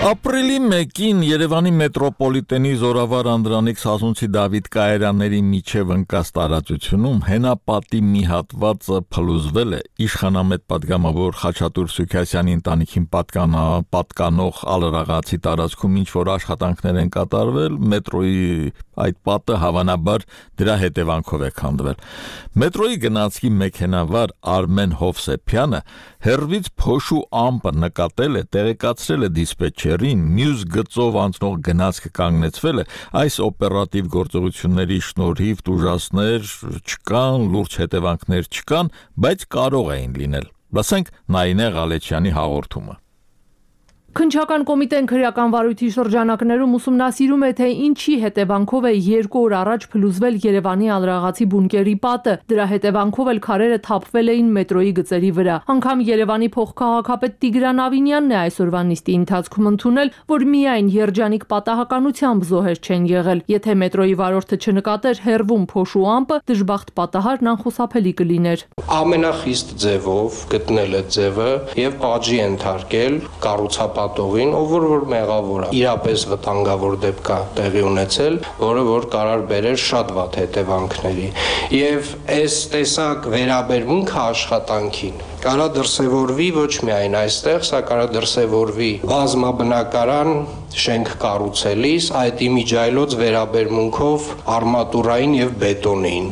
Speaker 1: Ապրիլի 1-ին Երևանի մետրոպոլիտենի Զորավար Անդրանիկ Սասունցի Դավիթ կայարանների միջև ընկած տարածությունում հենապատի մի հատվածը փլուզվել է իշխանամետ պատգամավոր Խաչատուր Սուքասյանի ընտանիքին պատկանող Ալրաղացի տարածքում ինչ որ աշխատանքներ են կատարվել, մետրոյի այդ պատը հավանաբար դրա հետևանքով է քանդվել։ Մետրոյի գնացքի մեքենավար Արմեն Հովսեփյանը հերվից փոշու ամպը նկատել է, տեղեկացրել է դիսպետչերին, մյուս գծով անցնող գնացքը կանգնեցվել է, այս օպերատիվ գործողությունների շնորհիվ տուժածներ չկան, լուրջ հետևանքներ չկան, բայց կարող էին լինել։ Լսենք Նայինե Ղալեչյանի հաղորդումը։
Speaker 21: Քննչական կոմիտեն քրեական վարույթի շրջանակներում ուսումնասիրում է, թե ինչի հետևանքով է 2 օր առաջ փլուզվել Երևանի Ալրաղացի բունկերի պատը։ Դրա հետևանքով էլ քարերը թափվել էին մետրոյի գծերի վրա։ Անգամ Երևանի փոխքաղաքապետ Տիգրան Ավինյանն է այսօրվա նիստի ընթացքում ընդունել, որ միայն երջանիկ պատահականությամբ զոհեր չեն եղել։ Եթե մետրոյի վարորդը չնկատեր հեռվում փոշու ամպը, դժբախտ պատահարն անխուսափելի կլիներ։
Speaker 8: Ամենախիստ ձևով գտնել է ձևը եւ պատժի ենթարկել կառուցապատողին, ով որ մեղավոր է։ Իրապես վտանգավոր դեպք է տեղի ունեցել, որը որ կարող բերել շատ վատ հետևանքների։ Եվ այս տեսակ վերաբերմունքը աշխատանքին կարա դրսևորվի ոչ միայն այստեղ, սա կարա դրսևորվի բազմաբնակարան շենք կառուցելիս այդ իմիջայլոց վերաբերմունքով արմատուրային եւ բետոնին։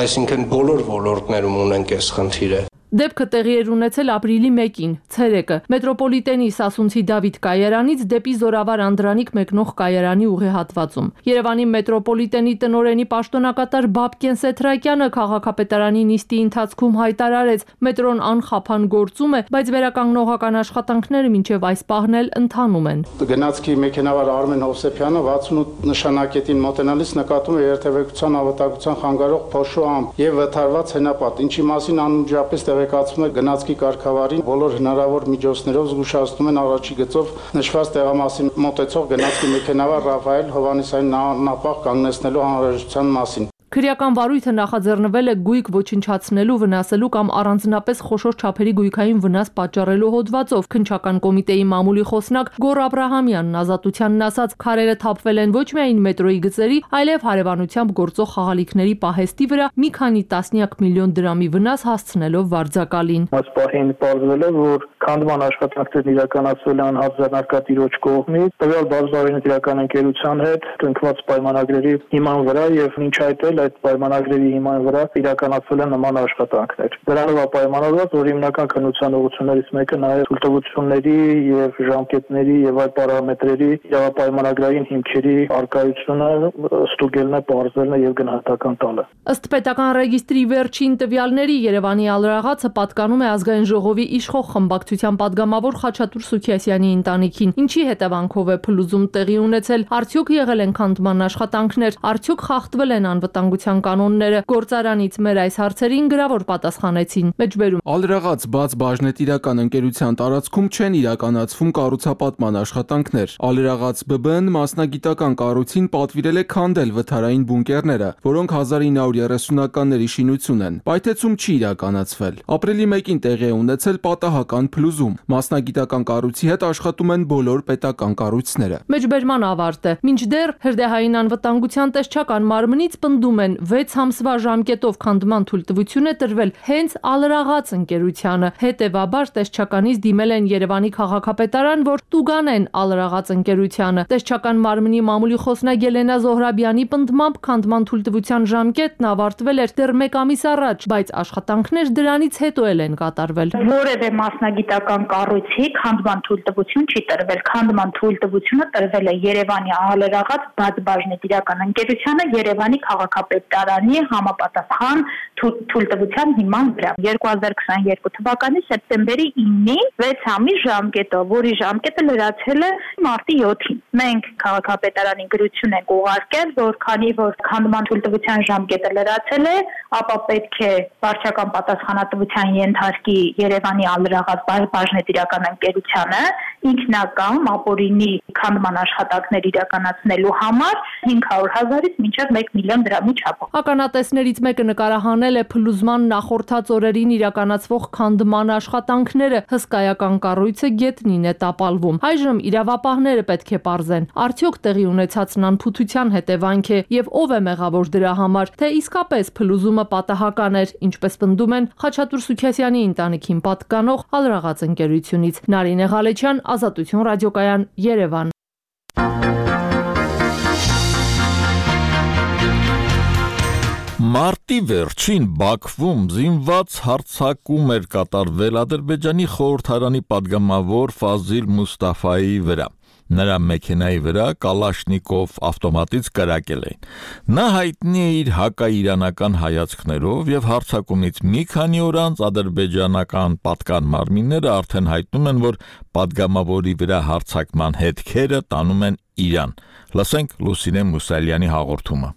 Speaker 8: Այսինքն բոլոր ոլորտներում ունենք այս խնդիրը։
Speaker 21: Դեպքը տեղի էր ունեցել ապրիլի 1-ին, ցերեկը, մետրոպոլիտենի Սասունցի Դավիթ կայարանից դեպի Զորավար Անդրանիկ մեկնող կայարանի ուղեհատվածում։ Երևանի մետրոպոլիտենի տնօրենի պաշտոնակատար Բաբկեն Սեթրակյանը քաղաքապետարանի նիստի ընթացքում հայտարարեց, մետրոն անխափան գործում է, բայց վերականգնողական աշխատանքները մինչև այս պահն էլ ընթանում են։
Speaker 22: Գնացքի մեքենավար Արմեն Հովսեփյանը 68 նշանակետին մոտենալիս նկատում է երթևեկության ավտակցության խանգարող փոշու ամպ եւ վթարված հենապատ, ինչի մասին անմիջապես տեղեկացում է գնացքի կարգավարին, բոլոր հնարավոր միջոցներով զգուշացնում են առաջի գծով նշված տեղամասին մոտեցող գնացքի մեքենավար Ռաֆայել Հովանեսյանին անապահ կանգնեցնելու անհրաժեշտության մասին։
Speaker 21: Քրեական վարույթը նախաձեռնվել է գույք ոչնչացնելու, վնասելու կամ առանձնապես խոշոր չափերի գույքային վնաս պատճառելու հոդվածով։ Քննչական կոմիտեի մամուլի խոսնակ Գոռ Աբրահամյանն Ազատությանն ասաց, քարերը թափվել են ոչ միայն մետրոյի գծերի, այլև հարևանությամբ գործող խաղալիքների պահեստի վրա մի քանի տասնյակ միլիոն դրամի վնաս հասցնելով վարձակալին։
Speaker 23: Այս պահին պարզվել է, որ քանդման աշխատանքներն իրականացվել են հարձանարկատիրոջ կողմից, տվյալ բազմավարինության ընկերության հետ կնքված պայմանագրերի հիման վրա եւ մինչ այդ այդ պայմանագրերի հիման վրա իրականացվել են նման աշխատանքներ։ Դրանով է պայմանավորված, որ հիմնական քննության ուղղություններից մեկը նաև թույլտվությունների եւ ժամկետների եւ այլ պարամետրերի իրավապայմանագրային հիմքերի արկայությունը ստուգելն է, պարզելն է եւ գնահատական տալը։
Speaker 21: Ըստ պետական ռեգիստրի վերջին տվյալների Երևանի Ալրաղացը պատկանում է ազգային ժողովի իշխող խմբակցության падգամավոր Խաչատուր Սուքիասյանի ընտանիքին։ Ինչի հետևանքով է փլուզում տեղի ունեցել, արդյոք եղել են քանդման աշխատանքներ, արդյոք խախտվել են անվտանգության կանոնները։ Գործարանից մեր այս հարցերին գրավոր պատասխանեցին։ Մեջբերում
Speaker 24: Ալրաղաց բաց բաժնետիրական ընկերության տարածքում չեն իրականացվում կառուցապատման աշխատանքներ։ Ալրաղաց ԲԲ-ն մասնագիտական կառույցին պատվիրել է քանդել վթարային բունկերները, որոնք 1930-ականների շինություն են։ Պայթեցում չի իրականացվել։ Ապրիլի 1-ին տեղի է ունեցել պատահական փլուզում։ Մասնագիտական կառույցի հետ աշխատում են բոլոր պետական կառույցները։ Մեջբերման ավարտ է։ Մինչդեռ հրդեհային անվտանգության տեսչական մարմնից պնդում են 6 ամսվա ժամկետով քանդման թույլտվություն է տրվել հենց Ալրաղաց ընկերությանը։ Հետևաբար տեսչականից դիմել են Երևանի քաղաքապետարան, որ տուգանեն Ալրաղաց ընկերությանը։ Տեսչական մարմնի մամուլի խոսնակ Ելենա Զոհրաբյանի պնդմամբ քանդման թույլտվության ժամկետն ավարտվել էր դեռ 1 ամիս առաջ, բայց աշխատանքներ դրանից հետո են կատարվել։
Speaker 25: Որևէ մասնագիտական կառույցի քանդման թույլտվություն չի տրվել։ Քանդման թույլտվությունը տրվել է Երևանի Ալրաղաց բաց բաժնետիրական ընկերությանը Երևանի քաղաքապետարանի համապատասխան թույլտվության հիման վրա 2022 թվականի սեպտեմբերի 9-ին 6 ամիս ժամկետով, որի ժամկետը լրացել է մարտի 7-ին։ Մենք քաղաքապետարանի գրություն ենք ուղարկել, որ քանի որ քանդման թույլտվության ժամկետը լրացել է, ապա պետք է վարչական պատասխանատվության ենթարկի Երևանի Ալրաղաց բաժնետիրական ընկերությանը ինքնական ապօրինի քանդման աշխատանքներ իրականացնելու համար 500,000-ից մինչև 1 միլիոն դրամի չափով։
Speaker 21: Ականատեսներից մեկը նկարահանել է փլուզման նախորդած օրերին իրականացվող քանդման աշխատանքները։ Հսկայական կառույցը գետնին է տապալվում։ Այժմ իրավապահները պետք է պարզեն, արդյոք տեղի ունեցածն անփութության հետևանք է եւ ով է մեղավոր դրա համար, թե իսկապես փլուզումը պատահական էր, ինչպես պնդում են Խաչատուր Սուքիասյանի ընտանիքին պատկանող Ալրաղաց ընկերությունից։ Նարինե Ղալեչյան, Ազատություն ռադիոկայան, Երևան։
Speaker 1: Մարտի վերջին Բաքվում զինված հարձակում էր կատարվել Ադրբեջանի խորհրդարանի падգամավոր Ֆազիլ Մուստաֆայի վրա։ Նրա մեքենայի վրա Կալաշնիկով ավտոմատից կրակել էին։ Նա հայտնի է իր հակաիրանական հայացքներով եւ հարձակումից մի քանի օր անց ադրբեջանական պատկան մարմինները արդեն հայտնում են, որ падգամավորի վրա հարձակման հետքերը տանում են Իրան։ Լսենք Լուսինե Մուսալյանի հաղորդումը։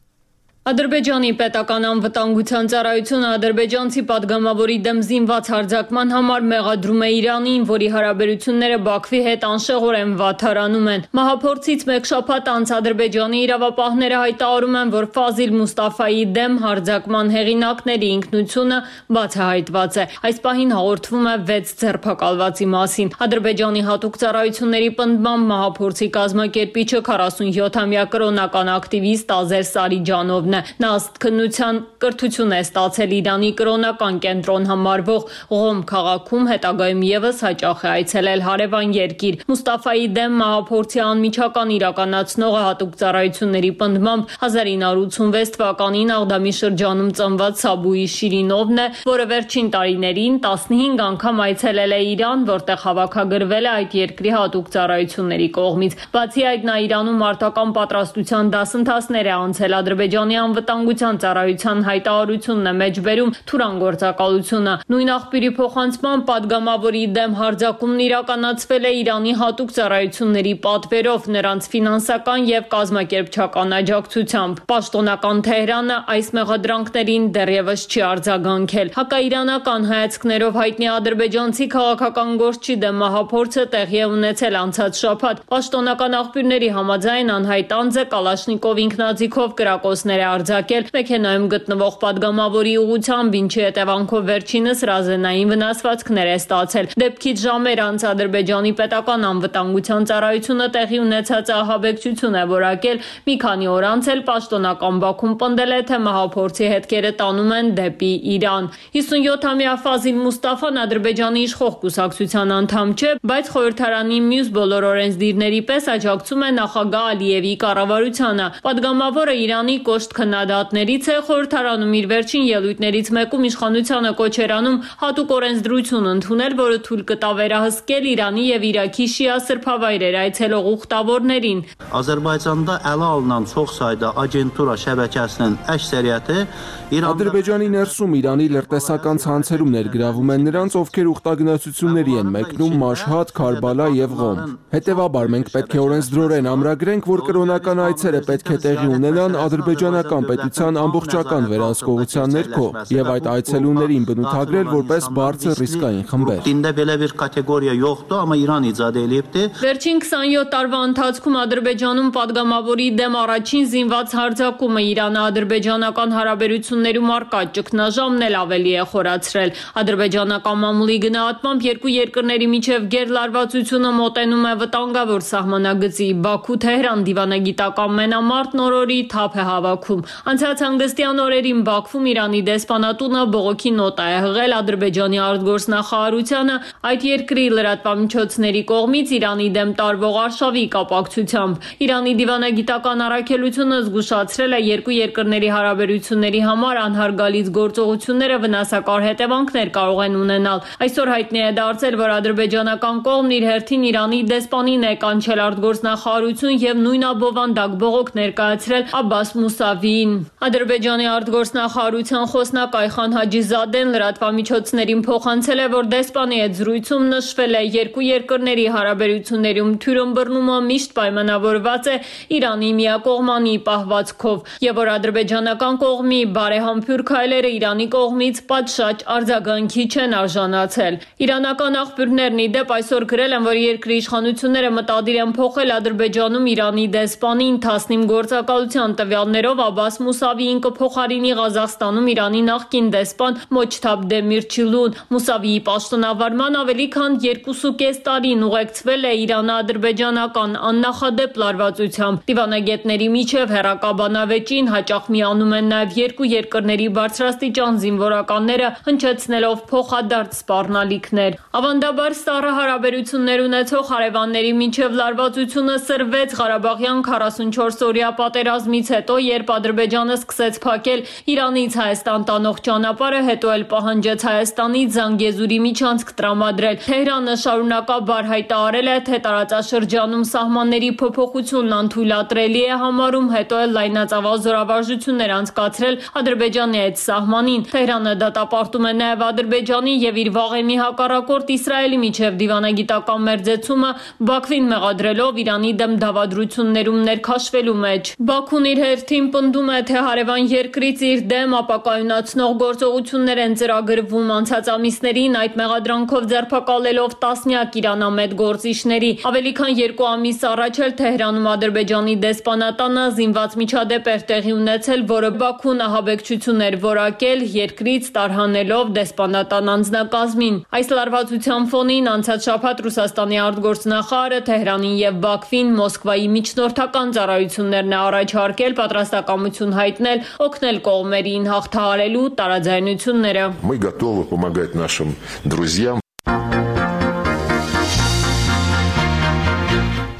Speaker 2: Ադրբեջանի պետական անվտանգության ծառայությունը ադրբեջանցի падգամավորի դեմ զինված հարձակման համար մեղադրում է Իրանին, որի հարաբերությունները Բաքվի հետ անշեղորեն վատթարանում են։ Մահափորձից մեկ շաբաթ անց Ադրբեջանի իրավապահները հայտարարում են, որ Ֆազիլ Մուստաֆայի դեմ հարձակման հեղինակների ինքնությունը բացահայտված է։ Այս պահին հաղորդվում է 6 ձերբակալվածի մասին։ Ադրբեջանի հատուկ ծառայությունների պնդմամբ մահափորձի կազմակերպիչը 47-ամյա կրոնական ակտիվիստ Ազեր Սարիջանովն է։ Նա ըստ քննության կրթություն է ստացել Իրանի կրոնական կենտրոն համարվող Ղոմ քաղաքում, հետագայում եւս հաճախ է այցելել հարևան երկիր։ Մուստաֆայի դեմ մահափորձի անմիջական իրականացնողը հատուկ ծառայությունների պնդմամբ 1986 թվականին Աղդամի շրջանում ծնված Սաբուի Շիրինովն է, որը վերջին տարիներին 15 անգամ այցելել է Իրան, որտեղ հավաքագրվել է այդ երկրի հատուկ ծառայությունների կողմից։ Բացի այդ, նա Իրանում մարտական պատրաստության դասընթացներ է անցել Ադրբեջանի անվտանգության ծառայության հայտարարությունն է մեջբերում Թուրան գործակալությունը։ Նույն աղբյուրի փոխանցմամբ падգամավորի դեմ հարձակումն իրականացվել է Իրանի հատուկ ծառայությունների պատվերով, նրանց ֆինանսական եւ կազմակերպչական աջակցությամբ։ Պաշտոնական Թեհրանը այս մեղադրանքներին դեռևս չի արձագանքել։ Հակաիրանական հայացքներով հայտնի ադրբեջանցի քաղաքական գործչի դեմ մահափորձը տեղի է ունեցել անցած շաբաթ։ Պաշտոնական աղբյուրների համաձայն անհայտ անձը Կալաշնիկով ինքնաձիգով կրակոցներ է արձակել մեքենայում գտնվող падգամավորի ուղղությամբ, ինչի հետևանքով վերջինս ռազենային վնասվածքներ է ստացել։ Դեպքից ժամեր անց Ադրբեջանի պետական անվտանգության ծառայությունը տեղի ունեցած ահաբեկչություն է որակել։ Մի քանի օր անց էլ պաշտոնական Բաքուն պնդել է, թե մահափորձի հետքերը տանում են դեպի Իրան։ 57-ամյա Ֆազիլ Մուստաֆան Ադրբեջանի իշխող կուսակցության անդամ չէ, բայց խորհրդարանի մյուս բոլոր օրենսդիրների պես աջակցում է նախագահ Ալիևի կառավարությանը։ Падգամավորը Իրանի կոշտ քննադատներից է, խորհրդարանում իր վերջին ելույթներից մեկում իշխանությանը կոչ էր անում հատուկ օրենսդրություն ընդունել, որը թույլ կտա վերահսկել Իրանի եւ Իրաքի շիա սրբավայրեր այցելող ուխտավորներին։
Speaker 3: Azərbaycanda ələ alınan çoxsayda agentura şəbəkəsinin əksəriyyəti
Speaker 24: Ադրբեջանի ներսում Իրանի լրտեսական ցանցերում ներգրավում են նրանց, ովքեր ուխտագնացությունների են մեկնում Մաշհադ, Քարբալա եւ Ղոմ։ Հետևաբար մենք պետք է օրենսդրորեն ամրագրենք, որ կրոնական այցերը պետք է տեղի ունենան ադրբեջանական պետության ամբողջական վերահսկողության ներքո եւ այդ այցելուներին բնութագրել որպես բարձր ռիսկային խմբեր։
Speaker 3: Դինդե belə bir կատեգորիա yoxdur, amma İran icad edibdi։
Speaker 2: Վերջին 27 տարվա ընթացքում Ադրբեջանում падգամավորի դեմ առաջին զինված հարձակումը Իրано-ադրբեջանական հարաբերություններում առկա ճգնաժամն էլ ավելի է խորացրել։ Ադրբեջանական մամուլի գնահատմամբ երկու երկրների միջև գերլարվածությունը մոտենում է վտանգավոր սահմանագծի։ Բաքու-Թեհրան դիվանագիտական մենամարտն օրորի թափ է հավաքում։ Անցած հանգստյան օրերին Բաքվում Իրանի դեսպանատունը բողոքի նոտ է հղել Ադրբեջանի արտգործնախարարությանը այդ երկրի լրատվամիջոցների կողմից Իրանի դեմ տարվող արշավի կապակցությամբ։ Իրանի դիվանագիտական առաքելությունը զգուշացրել է երկու երկրների հարաբերությունների համար անհարգալից գործողությունները վնասակար հետևանքներ կարող են ունենալ։ Այսօր հայտնի է դարձել, որ ադրբեջանական կողմն իր հերթին Իրանի դեսպանին է կանչել արտգործնախարարություն եւ նույն աբովանդակ բողոք ներկայացրել Աբբաս Մուսավիին։ Ադրբեջանի արտգործնախարարության խոսնակ Այխան Հաջիզադեն լրատվամիջոցներին փոխանցել է, որ դեսպանի հետ զրույցում նշվել է երկու երկրների հարաբերություններում թյուրըմբռնումը միշտ պայմանավորված է Իրանի միակողմանի պահվածքով եւ որ ադրբեջանական կողմի բարեհամբույր քայլերը Իրանի կողմից պատշաճ արձագանքի չեն արժանացել։ Իրանական աղբյուրներն ի դեպ այսօր գրել են, որ երկրի իշխանությունները մտադիր են փոխել Ադրբեջանում Իրանի դեսպանին 15 գործակալության տվյալներով Աբբաս Մուսավիին կփոխարինի Ղազախստանում Իրանի նախկին դեսպան Մոջթաբ Դեմիրչիլուն։ Մուսավիի պաշտոնավարման ավելի քան 2.5 տարին ուղեկցվել է Իրано-ադրբեջանական աննախադեպ լարվածությամբ։ Դիվանագետների միջև հեռակաբանավեճին հաճախ միանում են նաև երկու երկրների բարձրաստիճան զինվորականները, հնչեցնելով փոխադարձ սպառնալիքներ։ Ավանդաբար սառը հարաբերություններ ունեցող հարևանների միջև լարվածությունը սրվեց Ղարաբաղյան 44-օրյա պատերազմից հետո, երբ Ադրբեջանը սկսեց փակել Իրանից Հայաստան տանող ճանապարհը, հետո էլ պահանջեց Հայաստանից Զանգեզուրի միջանցք տրամադրել։ Թեհրանը շարունակաբար հայտարարել է, թե տարածաշրջանում սահմանների փոփոխությունն անթույլատրելի է համարում, հետո էլ լայնածավալ զորավարժություններ անցկացրել Ադրբեջանի այդ սահմանին։ Թեհրանը դատապարտում է նաև Ադրբեջանի եւ իր վաղեմի հակառակորդ Իսրայելի միջև դիվանագիտական մերձեցումը, Բաքվին մեղադրելով Իրանի դեմ դավադրություններում ներքաշվելու մեջ։ Բաքուն իր հերթին պնդում է, թե հարևան երկրից իր դեմ ապակայունացնող գործողություններ են ծրագրվում, անցած ամիսներին այդ մեղադրանքով ձերբակալելով տասնյակ իրանամետ գործիչների։ Ավելի քան 2 ամիս առաջ էլ Թեհրանում Ադրբեջանի դեսպանատանը զինված միջադեպ էր տեղի ունեցել, որը Բաքուն ահաբեկչություն էր որակել, երկրից տարհանելով դեսպանատան անձնակազմին։ Այս լարվածության ֆոնին անցած շաբաթ Ռուսաստանի արտգործնախարարը Թեհրանին եւ Բաքվին Մոսկվայի միջնորդական ծառայություններն է առաջարկել պատրաստակամություն հայտնել օգնել կողմերին հաղթահարելու տարաձայնությունները։
Speaker 5: Мы готовы помогать нашим друзьям.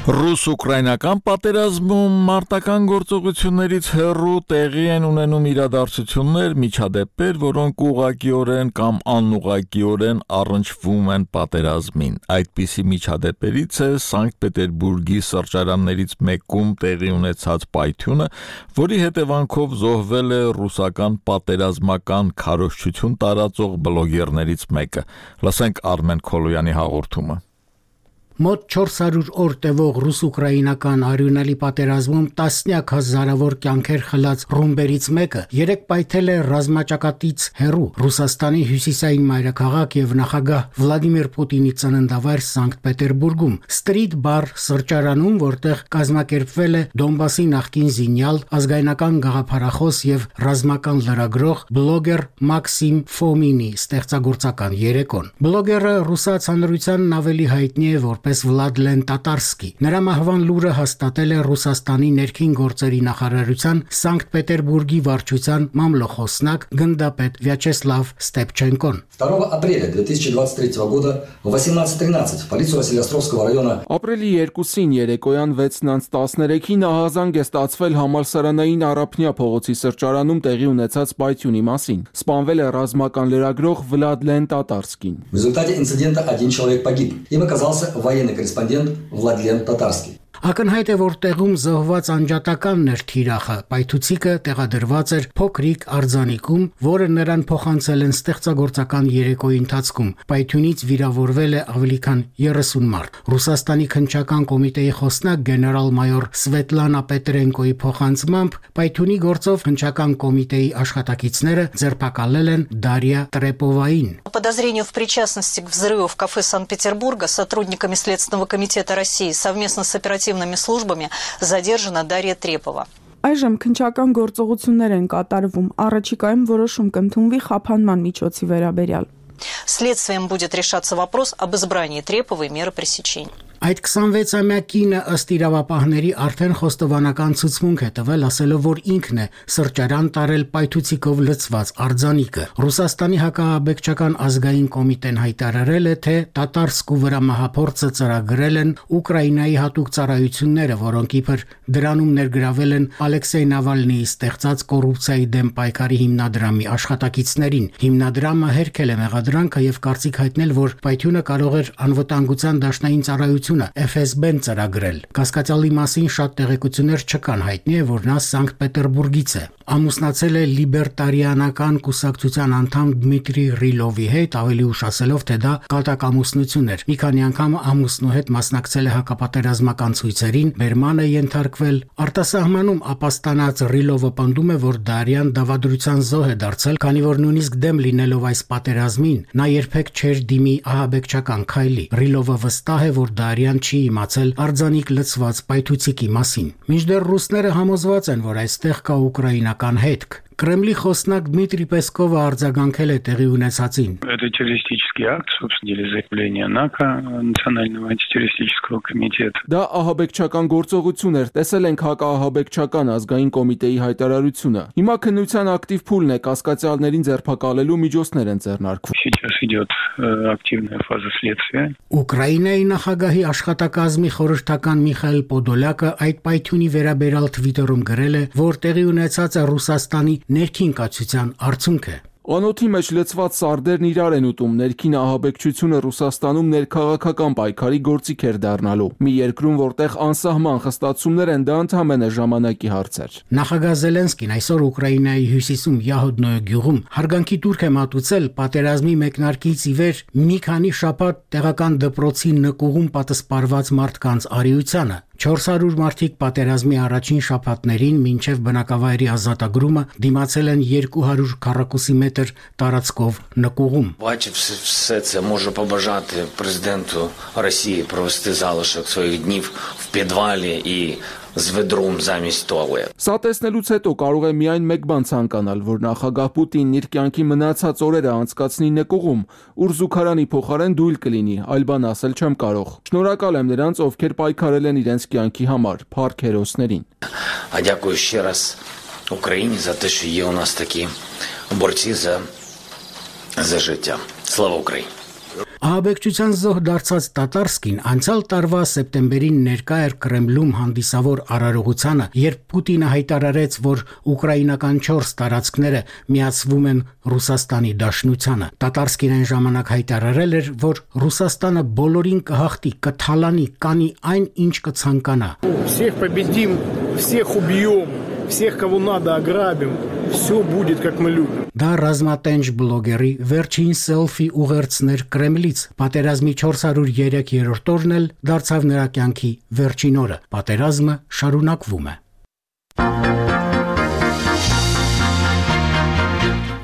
Speaker 1: Ռուս-ուկրաինական պատերազմում մարտական գործողություններից հեռու տեղի են ունենում իրադարձություններ, միջադեպեր, որոնք ուղղակիորեն կամ անուղղակիորեն առնչվում են պատերազմին։ Այդպիսի միջադեպերից է Սանկտ Պետերբուրգի սրճարաններից մեկում տեղի ունեցած պայթյունը, որի հետևանքով զոհվել է ռուսական պատերազմական քարոզչություն տարածող բլոգերներից մեկը։ Լսենք Արմեն Քոլոյանի հաղորդումը։
Speaker 7: Մոտ 400 օր տևող ռուս-ուկրաինական արյունալի պատերազմում տասնյակ հազարավոր կյանքեր խլած ռումբերից մեկը երեկ պայթել է ռազմաճակատից հեռու Ռուսաստանի հյուսիսային մայրաքաղաք եւ նախագահ Վլադիմիր Պուտինի ծննդավայր Սանկտ Պետերբուրգում Street Bar սրճարանում, որտեղ կազմակերպվել է Դոնբասի նախկին զինյալ, ազգայնական գաղափարախոս եւ ռազմական լրագրող բլոգեր Մաքսիմ Ֆոմինի ստեղծագործական երեկոն։ Բլոգերը ռուսաց հանրությանն ավելի հայտնի է որպես Վլադլեն Տատարսկի։ Նրա մահվան լուրը հաստատել է Ռուսաստանի ներքին գործերի նախարարության Սանկտ Պետերբուրգի վարչության մամլոխոսնակ գնդապետ Վյաչեսլավ Ստեպչենկոն։
Speaker 10: 2 апреля 2023 года в 18:13 в полицию Василиостровского района
Speaker 24: Ապրիլի 2-ին երեկոյան 6:13-ին ահազանգ է ստացվել համալսարանային Արաբնյա փողոցի սրճարանում տեղի ունեցած պայթյունի մասին։ Սպանվել է ռազմական լրագրող Վլադլեն Տատարսկին։
Speaker 10: В результате инцидента 1 человек погиб. Им оказался военный корреспондент Владлен Татарский.
Speaker 7: Ակնհայտ է, որ տեղում զոհված անջատականն էր թիրախը։ Պայթուցիկը տեղադրված էր փոքրիկ արձանիկում, որը նրան փոխանցել են ստեղծագործական երեկոյի ընթացքում։ Պայթյունից վիրավորվել է ավելի քան 30 մարդ։ Ռուսաստանի քննչական կոմիտեի խոսնակ գեներալ-մայոր Սվետլանա Պետրենկոյի փոխանցմամբ պայթյունի գործով քննչական կոմիտեի աշխատակիցները ձերբակալել են Դարիա Տրեպովային։
Speaker 11: По подозрению в причастности к взрыву в кафе Санкт-Петербурга сотрудниками Следственного комитета России совместно с оперативными службами задержана Дарья Трепова.
Speaker 12: Այժմ քննչական գործողություններ են կատարվում, առաջիկայում որոշում կընդունվի խափանման միջոցի վերաբերյալ։
Speaker 11: Следствием будет решаться вопрос об избрании Треповой меры пресечения.
Speaker 7: Այդ 26-ամյա կինը ըստ իրավապահների արդեն խոստովանական ցուցմունք է տվել, ասելով, որ ինքն է սրճարան տարել պայթուցիկով լցված արձանիկը։ Ռուսաստանի հակահաբեկչական ազգային կոմիտեն հայտարարել է, թե Տատարսկու վրա մահափորձը ծրագրել են Ուկրաինայի հատուկ ծառայությունները, որոնք իբր դրանում ներգրավել են Ալեքսեյ Նավալնիի ստեղծած կոռուպցիայի դեմ պայքարի հիմնադրամի աշխատակիցներին։ Հիմնադրամը հերքել է մեղադրանքը եւ կարծիք հայտնել, որ պայթյունը կարող էր անվտանգության դաշնային ծառայություն FSB-ն ծրագրել։ Կասկածյալի մասին շատ տեղեկություններ չկան, հայտնի է, որ նա Սանկտ Պետերբուրգից է։ Ամուսնացել է լիբերտարիանական կուսակցության անդամ Դմիտրի Ռիլովի հետ, ավելի ուշ ասելով, թե դա կատակամուսնություն էր։ Մի քանի անգամ ամուսնու հետ մասնակցել է հակապատերազմական ցույցերին, բերման է ենթարկվել։ Արտասահմանում ապաստանած Ռիլովը պնդում է, որ Դարյան դավադրության զոհ է դարձել, քանի որ նույնիսկ դեմ լինելով այս պատերազմին, նա երբեք չէր դիմի ահաբեկչական քայլի։ Ռիլովը վստահ է, որ Դարյան չի իմացել արձանիկ լցված պայթուցիկի մասին։ Մինչդեռ ռուսները համոզված են, որ այստեղ կա ուկրաինական հետք։ Կրեմլի խոսնակ Դմիտրի Պեսկովը արձագանքել է տեղի ունեցածին.
Speaker 4: Это террористический акт, собственно деле, заявление ՆАКО, Национального антитеррористического комитета.
Speaker 24: Դա ահաբեկչական գործողություն էր, տեսել ենք հակաահաբեկչական ազգային կոմիտեի հայտարարությունը։ Հիմա քննության ակտիվ փուլն է, կասկածյալներին ձերբակալելու միջոցներ են ձեռնարկվում։
Speaker 4: Сейчас идет активная фаза следствия.
Speaker 7: Ուկրաինայի նախագահի աշխատակազմի խորհրդական Միխայել Պոդոլյակը այդ պայթյունի վերաբերյալ Twitter-ում գրել է, որ տեղի ունեցածը Ռուսաստանի ներքին կացության արդյունք է։
Speaker 24: Անոթի մեջ լցված սարդերն իրար են ուտում, ներքին ահաբեկչությունը Ռուսաստանում ներքաղաքական պայքարի գործիք էր դառնալու։ Մի երկրում, որտեղ անսահման խստացումներ են, դա ընդհանրապես ժամանակի հարց էր։
Speaker 7: Նախագահ Զելենսկին այսօր Ուկրաինայի հյուսիսում Յահոդնոյ գյուղում հարգանքի տուրք է մատուցել պատերազմի մեկնարկից ի վեր մի քանի շաբաթ տեղական դպրոցի նկուղում պատսպարված մարդկանց արիությանը։ 400 մարդիկ պատերազմի առաջին շաբաթներին մինչև բնակավայրի ազատագրումը դիմացել են 200 քառակուսի մետր տարածքով նկուղում։
Speaker 9: Бачив все це, можу побажати президенту Росії провести залишок своїх днів в підвалі і з ведром замість туалет.
Speaker 24: Սա տեսնելուց հետո կարող է միայն մեկ բան ցանկանալ, որ նախագահ Պուտինն իր կյանքի մնացած օրերը անցկացնի նկուղում, ուր զուգարանի փոխարեն դույլ կլինի, այլ բան ասել չեմ կարող։ Շնորհակալ եմ նրանց, ովքեր պայքարել են իրենց կյանքի համար, փառք հերոսներին։
Speaker 9: А дякую ще раз Україні за те, що є у нас такі борці за життя. Слава Україні!
Speaker 7: Ահաբեկչության զոհ դարձած Տատարսկին անցյալ տարվա սեպտեմբերին ներկա էր Կրեմլում հանդիսավոր արարողությանը, երբ Պուտինը հայտարարեց, որ ուկրաինական 4 տարածքները միացվում են Ռուսաստանի Դաշնությանը։ Տատարսկին այն ժամանակ հայտարարել էր, որ Ռուսաստանը բոլորին կհաղթի, կթալանի, կանի այն, ինչ կցանկանա։
Speaker 22: Всех победим, всех убьем, всех, кого надо, ограбим. Все будет, как мы любим.
Speaker 7: Դա ռազմատենչ բլոգերի վերջին սելֆի ուղերձներ Կրեմլից։ Պատերազմի 403-րդ օրն էլ դարձավ նրա կյանքի վերջին օրը։ Պատերազմը շարունակվում է։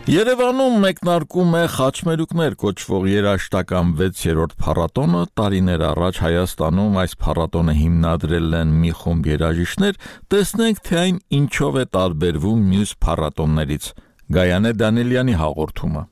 Speaker 1: Երևանում մեկնարկում է խաչմերուկներ կոչվող երաժշտական 6-րդ փառատոնը, տարիներ առաջ Հայաստանում այս փառատոնը հիմնադրել են մի խումբ երաժիշտներ, տեսնենք թե այն ինչով է տարբերվում մյուս փառատոններից։ Գայանե Դանիելյանի հաղորդումը։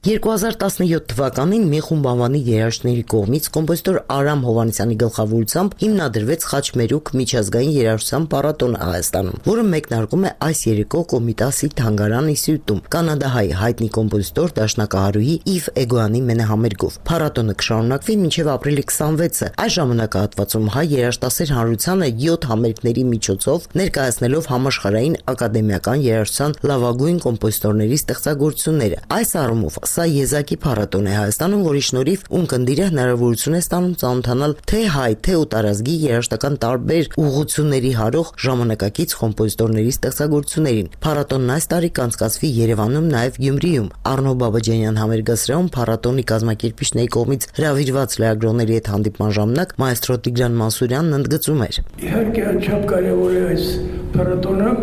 Speaker 14: 2017 թվականին մի խումբ անվանի երաժիշտների կողմից կոմպոզիտոր Արամ Հովհաննիսյանի գլխավորությամբ հիմնադրվեց Խաչմերուկ միջազգային երաժշտության փառատոնը Հայաստանում, որը մեկնարկում է այս երեկո Կոմիտասի թանգարան ինստիտուտում կանադահայ հայտնի կոմպոզիտոր դաշնակահարուհի Իվ Էգոյանի մենահամերգով։ Փառատոնը կշարունակվի մինչև ապրիլի 26-ը։ Այս ժամանակահատվածում հայ երաժշտասեր հանրությանը 7 համերգների միջոցով ներկայացնելով համաշխարհային ակադեմիական երաժշտության լավագույն կոմպոզիտորների ստեղծագործությունները։ Այս առումով Սա եզակի փառատոն է Հայաստանում, որի շնորհիվ ունկնդիրը հնարավորություն է ստանում ծանոթանալ թե հայ, թե ուտարազգի երաժշտական տարբեր ուղղությունների հարող ժամանակակից կոմպոզիտորների ստեղծագործություններին։ Փառատոնն այս տարի կանցկացվի Երևանում, նաև Գյումրիում։ Առնո Բաբաջանյան համերգասրահում փառատոնի կազմակերպիչների կողմից հրավիրված լրագրողների հետ հանդիպման ժամանակ մայստրո Տիգրան Մանսուրյանն ընդգծում էր.
Speaker 15: Իհարկե անչափ կարևոր է այս փառատոնը,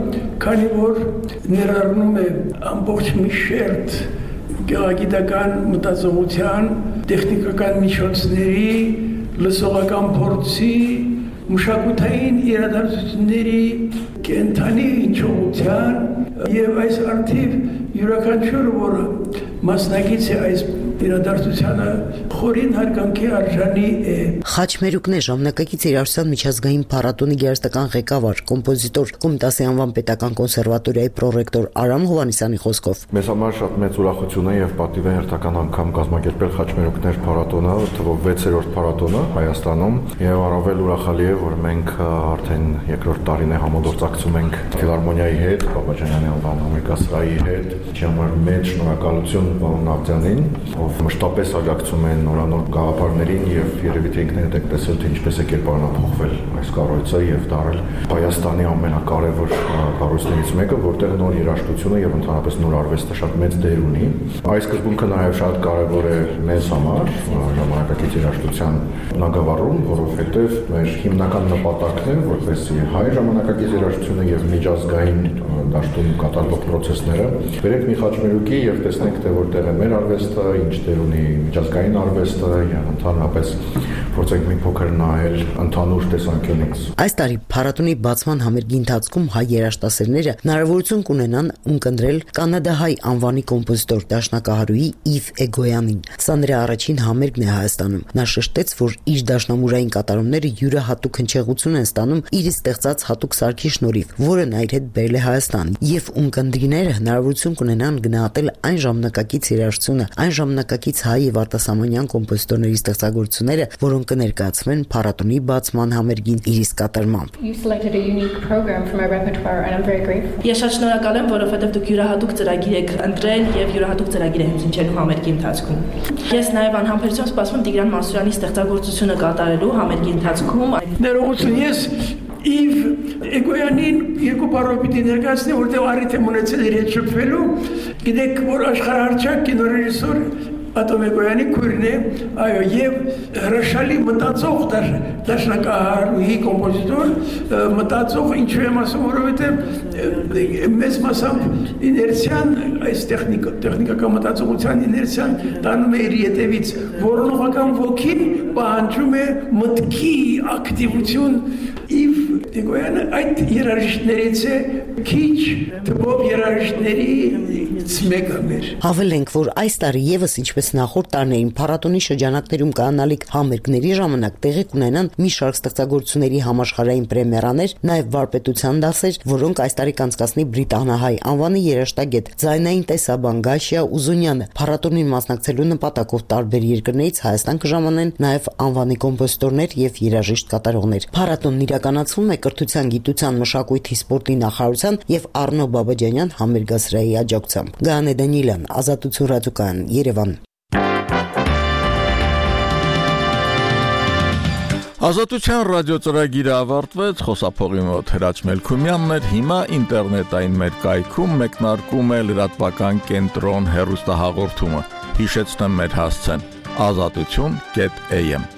Speaker 15: քանի որ ներառնում է ամբողջ մի շերտ գեղագիտական մտածողության, տեխնիկական միջոցների, լսողական փորձի, մշակութային իրադարձությունների, կենթանի հնչողության եւ այս արդիվ յուրաքանչյուրը, որը մասնակից է այս իրադարձությանը, խորին հարգանքի արժանի է։
Speaker 14: Խաչմերուկն է ժամանակակից երաժշտության միջազգային փառատոնի երաժշտական ղեկավար, կոմպոզիտոր, Կոմիտասի անվան պետական կոնսերվատորիայի պրոռեկտոր Արամ Հովհաննիսյանի խոսքով։
Speaker 16: Մեզ համար շատ մեծ ուրախություն է եւ պատիվ է հերթական անգամ կազմակերպել Խաչմերուկներ փառատոնը, թվով 6-րդ փառատոնը Հայաստանում, եւ առավել ուրախալի է, որ մենք արդեն երկրորդ տարին է համագործակցում ենք ֆիլհարմոնիայի հետ, Բաբաջանյանի անվան համերգասրահի հետ։ Համար մեծ շնորհակալություն պարոն Աղձյանին, ով մշտապես աջակցում են նորանոր գաղափարներին եւ երևի թե ինքներդ եք տեսել թե ինչպես է կերպարանափոխվել այս կառույցը եւ դարել Հայաստանի ամենակարևոր կառույցներից մեկը, որտեղ նոր երաժշտությունը եւ ընդհանրապես նոր արվեստը շատ մեծ դեր ունի։ Այս սկզբունքը նաեւ շատ կարևոր է մեզ համար ժամանակակից երաժշտության բնագավառում, որովհետեւ մեր հիմնական նպատակն է, որպեսզի հայ ժամանակակից երաժշտությունը եւ միջազգային դաշտում կատարվող process-ները։ Բերեք մի խաչմերուկի եւ տեսնենք, թե որտեղ է մեր արվեստը, ինչ դեր ունի միջազգային արվեստը եւ ընդհանրապես փորձենք մի փոքր նայել ընդհանուր տեսանկյունից։
Speaker 14: Այս տարի փառատոնի բացման համերգի ընթացքում հայ երաժշտասերները հնարավորություն կունենան ունկնդրել կանադահայ անվանի կոմպոզիտոր դաշնակահարուի Իվ Էգոյանին։ Սա նրա առաջին համերգն է Հայաստանում։ Նա շեշտեց, որ իր դաշնամուրային կատարումները յուրահատուկ հնչեղություն են ստանում իր ստեղծած հատուկ սարքի շնորհիվ, որը նա իր հետ բերել է Հայաստան, եւ ունկնդիրները հնարավորություն կունենան գնահատել այն ժամանակակից երաժշտությունը, այն ժամանակակից հայ եւ արտասահմանյան կոմպոզիտորների ստեղծագործությունները, որոնք կներկայացվեն փառատոնի բացման համերգին իր իսկ կատարմամբ։
Speaker 6: Ես շատ շնորհակալ եմ, որովհետև դուք յուրահատուկ ծրագիր եք ընտրել եւ յուրահատուկ ծրագիր եք հնչելու համերգի ընթացքում։ Ես նաեւ անհամբերությամբ սպասում եմ Տիգրան Մասուրյանի ստեղծագործությունը կատարելու համերգի ընթացքում։
Speaker 15: Ներողություն, ես Իվ Էգոյանին երկու բառով պիտի ներկայացնեմ, որտեղ առիթ եմ ունեցել իր հետ շփվելու։ Գիտեք, որ աշխարհահռչակ կինոռեժիսոր Ատոմ Էգոյանի քույրն է, այո, եւ հրաշալի մտածող դաշնակահարուհի կոմպոզիտոր, մտածող ինչու եմ ասում, որովհետեւ մեծ մասամբ իներցիան, այս տեխնիկական մտածողության իներցիան տանում է իր ետևից, որոնողական ոգին պահանջում է մտքի ակտիվություն։ Իվ Էգոյանը այդ երաժիշտներից է քիչ թվով երաժիշտներից մեկը մեր։
Speaker 14: Հավելենք, որ այս տարի եւս ինչպես նախորդ տարիներին փառատոնի շրջանակներում կանալիք համերգների ժամանակ տեղի կունենան մի շարք ստեղծագործությունների համաշխարհային պրեմիերաներ, նաեւ վարպետության դասեր, որոնք այս տարի կանցկացնի բրիտանահայ անվանի երաժշտագետ ձայնային տեսաբան Գաշիա Ուզունյանը։ Փառատոնին մասնակցելու նպատակով տարբեր երկրներից Հայաստան կժամանեն նաեւ անվանի կոմպոզիտորներ եւ երաժիշտ կատարողներ։ Փառատոնն իրականացվում է Կրթության, գիտության, մշակույթի, սպորտի նախարարության եւ Առնո Բաբաջանյան համերգասրահի աջակցությամբ։ Գանե Դանիելյան, Ազատություն ռադիոկայան, Երևան։
Speaker 1: Ազատության ռադիոծրագիրը ավարտվեց, խոսափողի մոտ Հրաչ Մելքումյանն էր, հիմա ինտերնետային մեր կայքում մեկնարկում է լրատվական կենտրոն հեռուստահաղորդումը։ Հիշեցնեմ մեր հասցեն՝ azatutun.am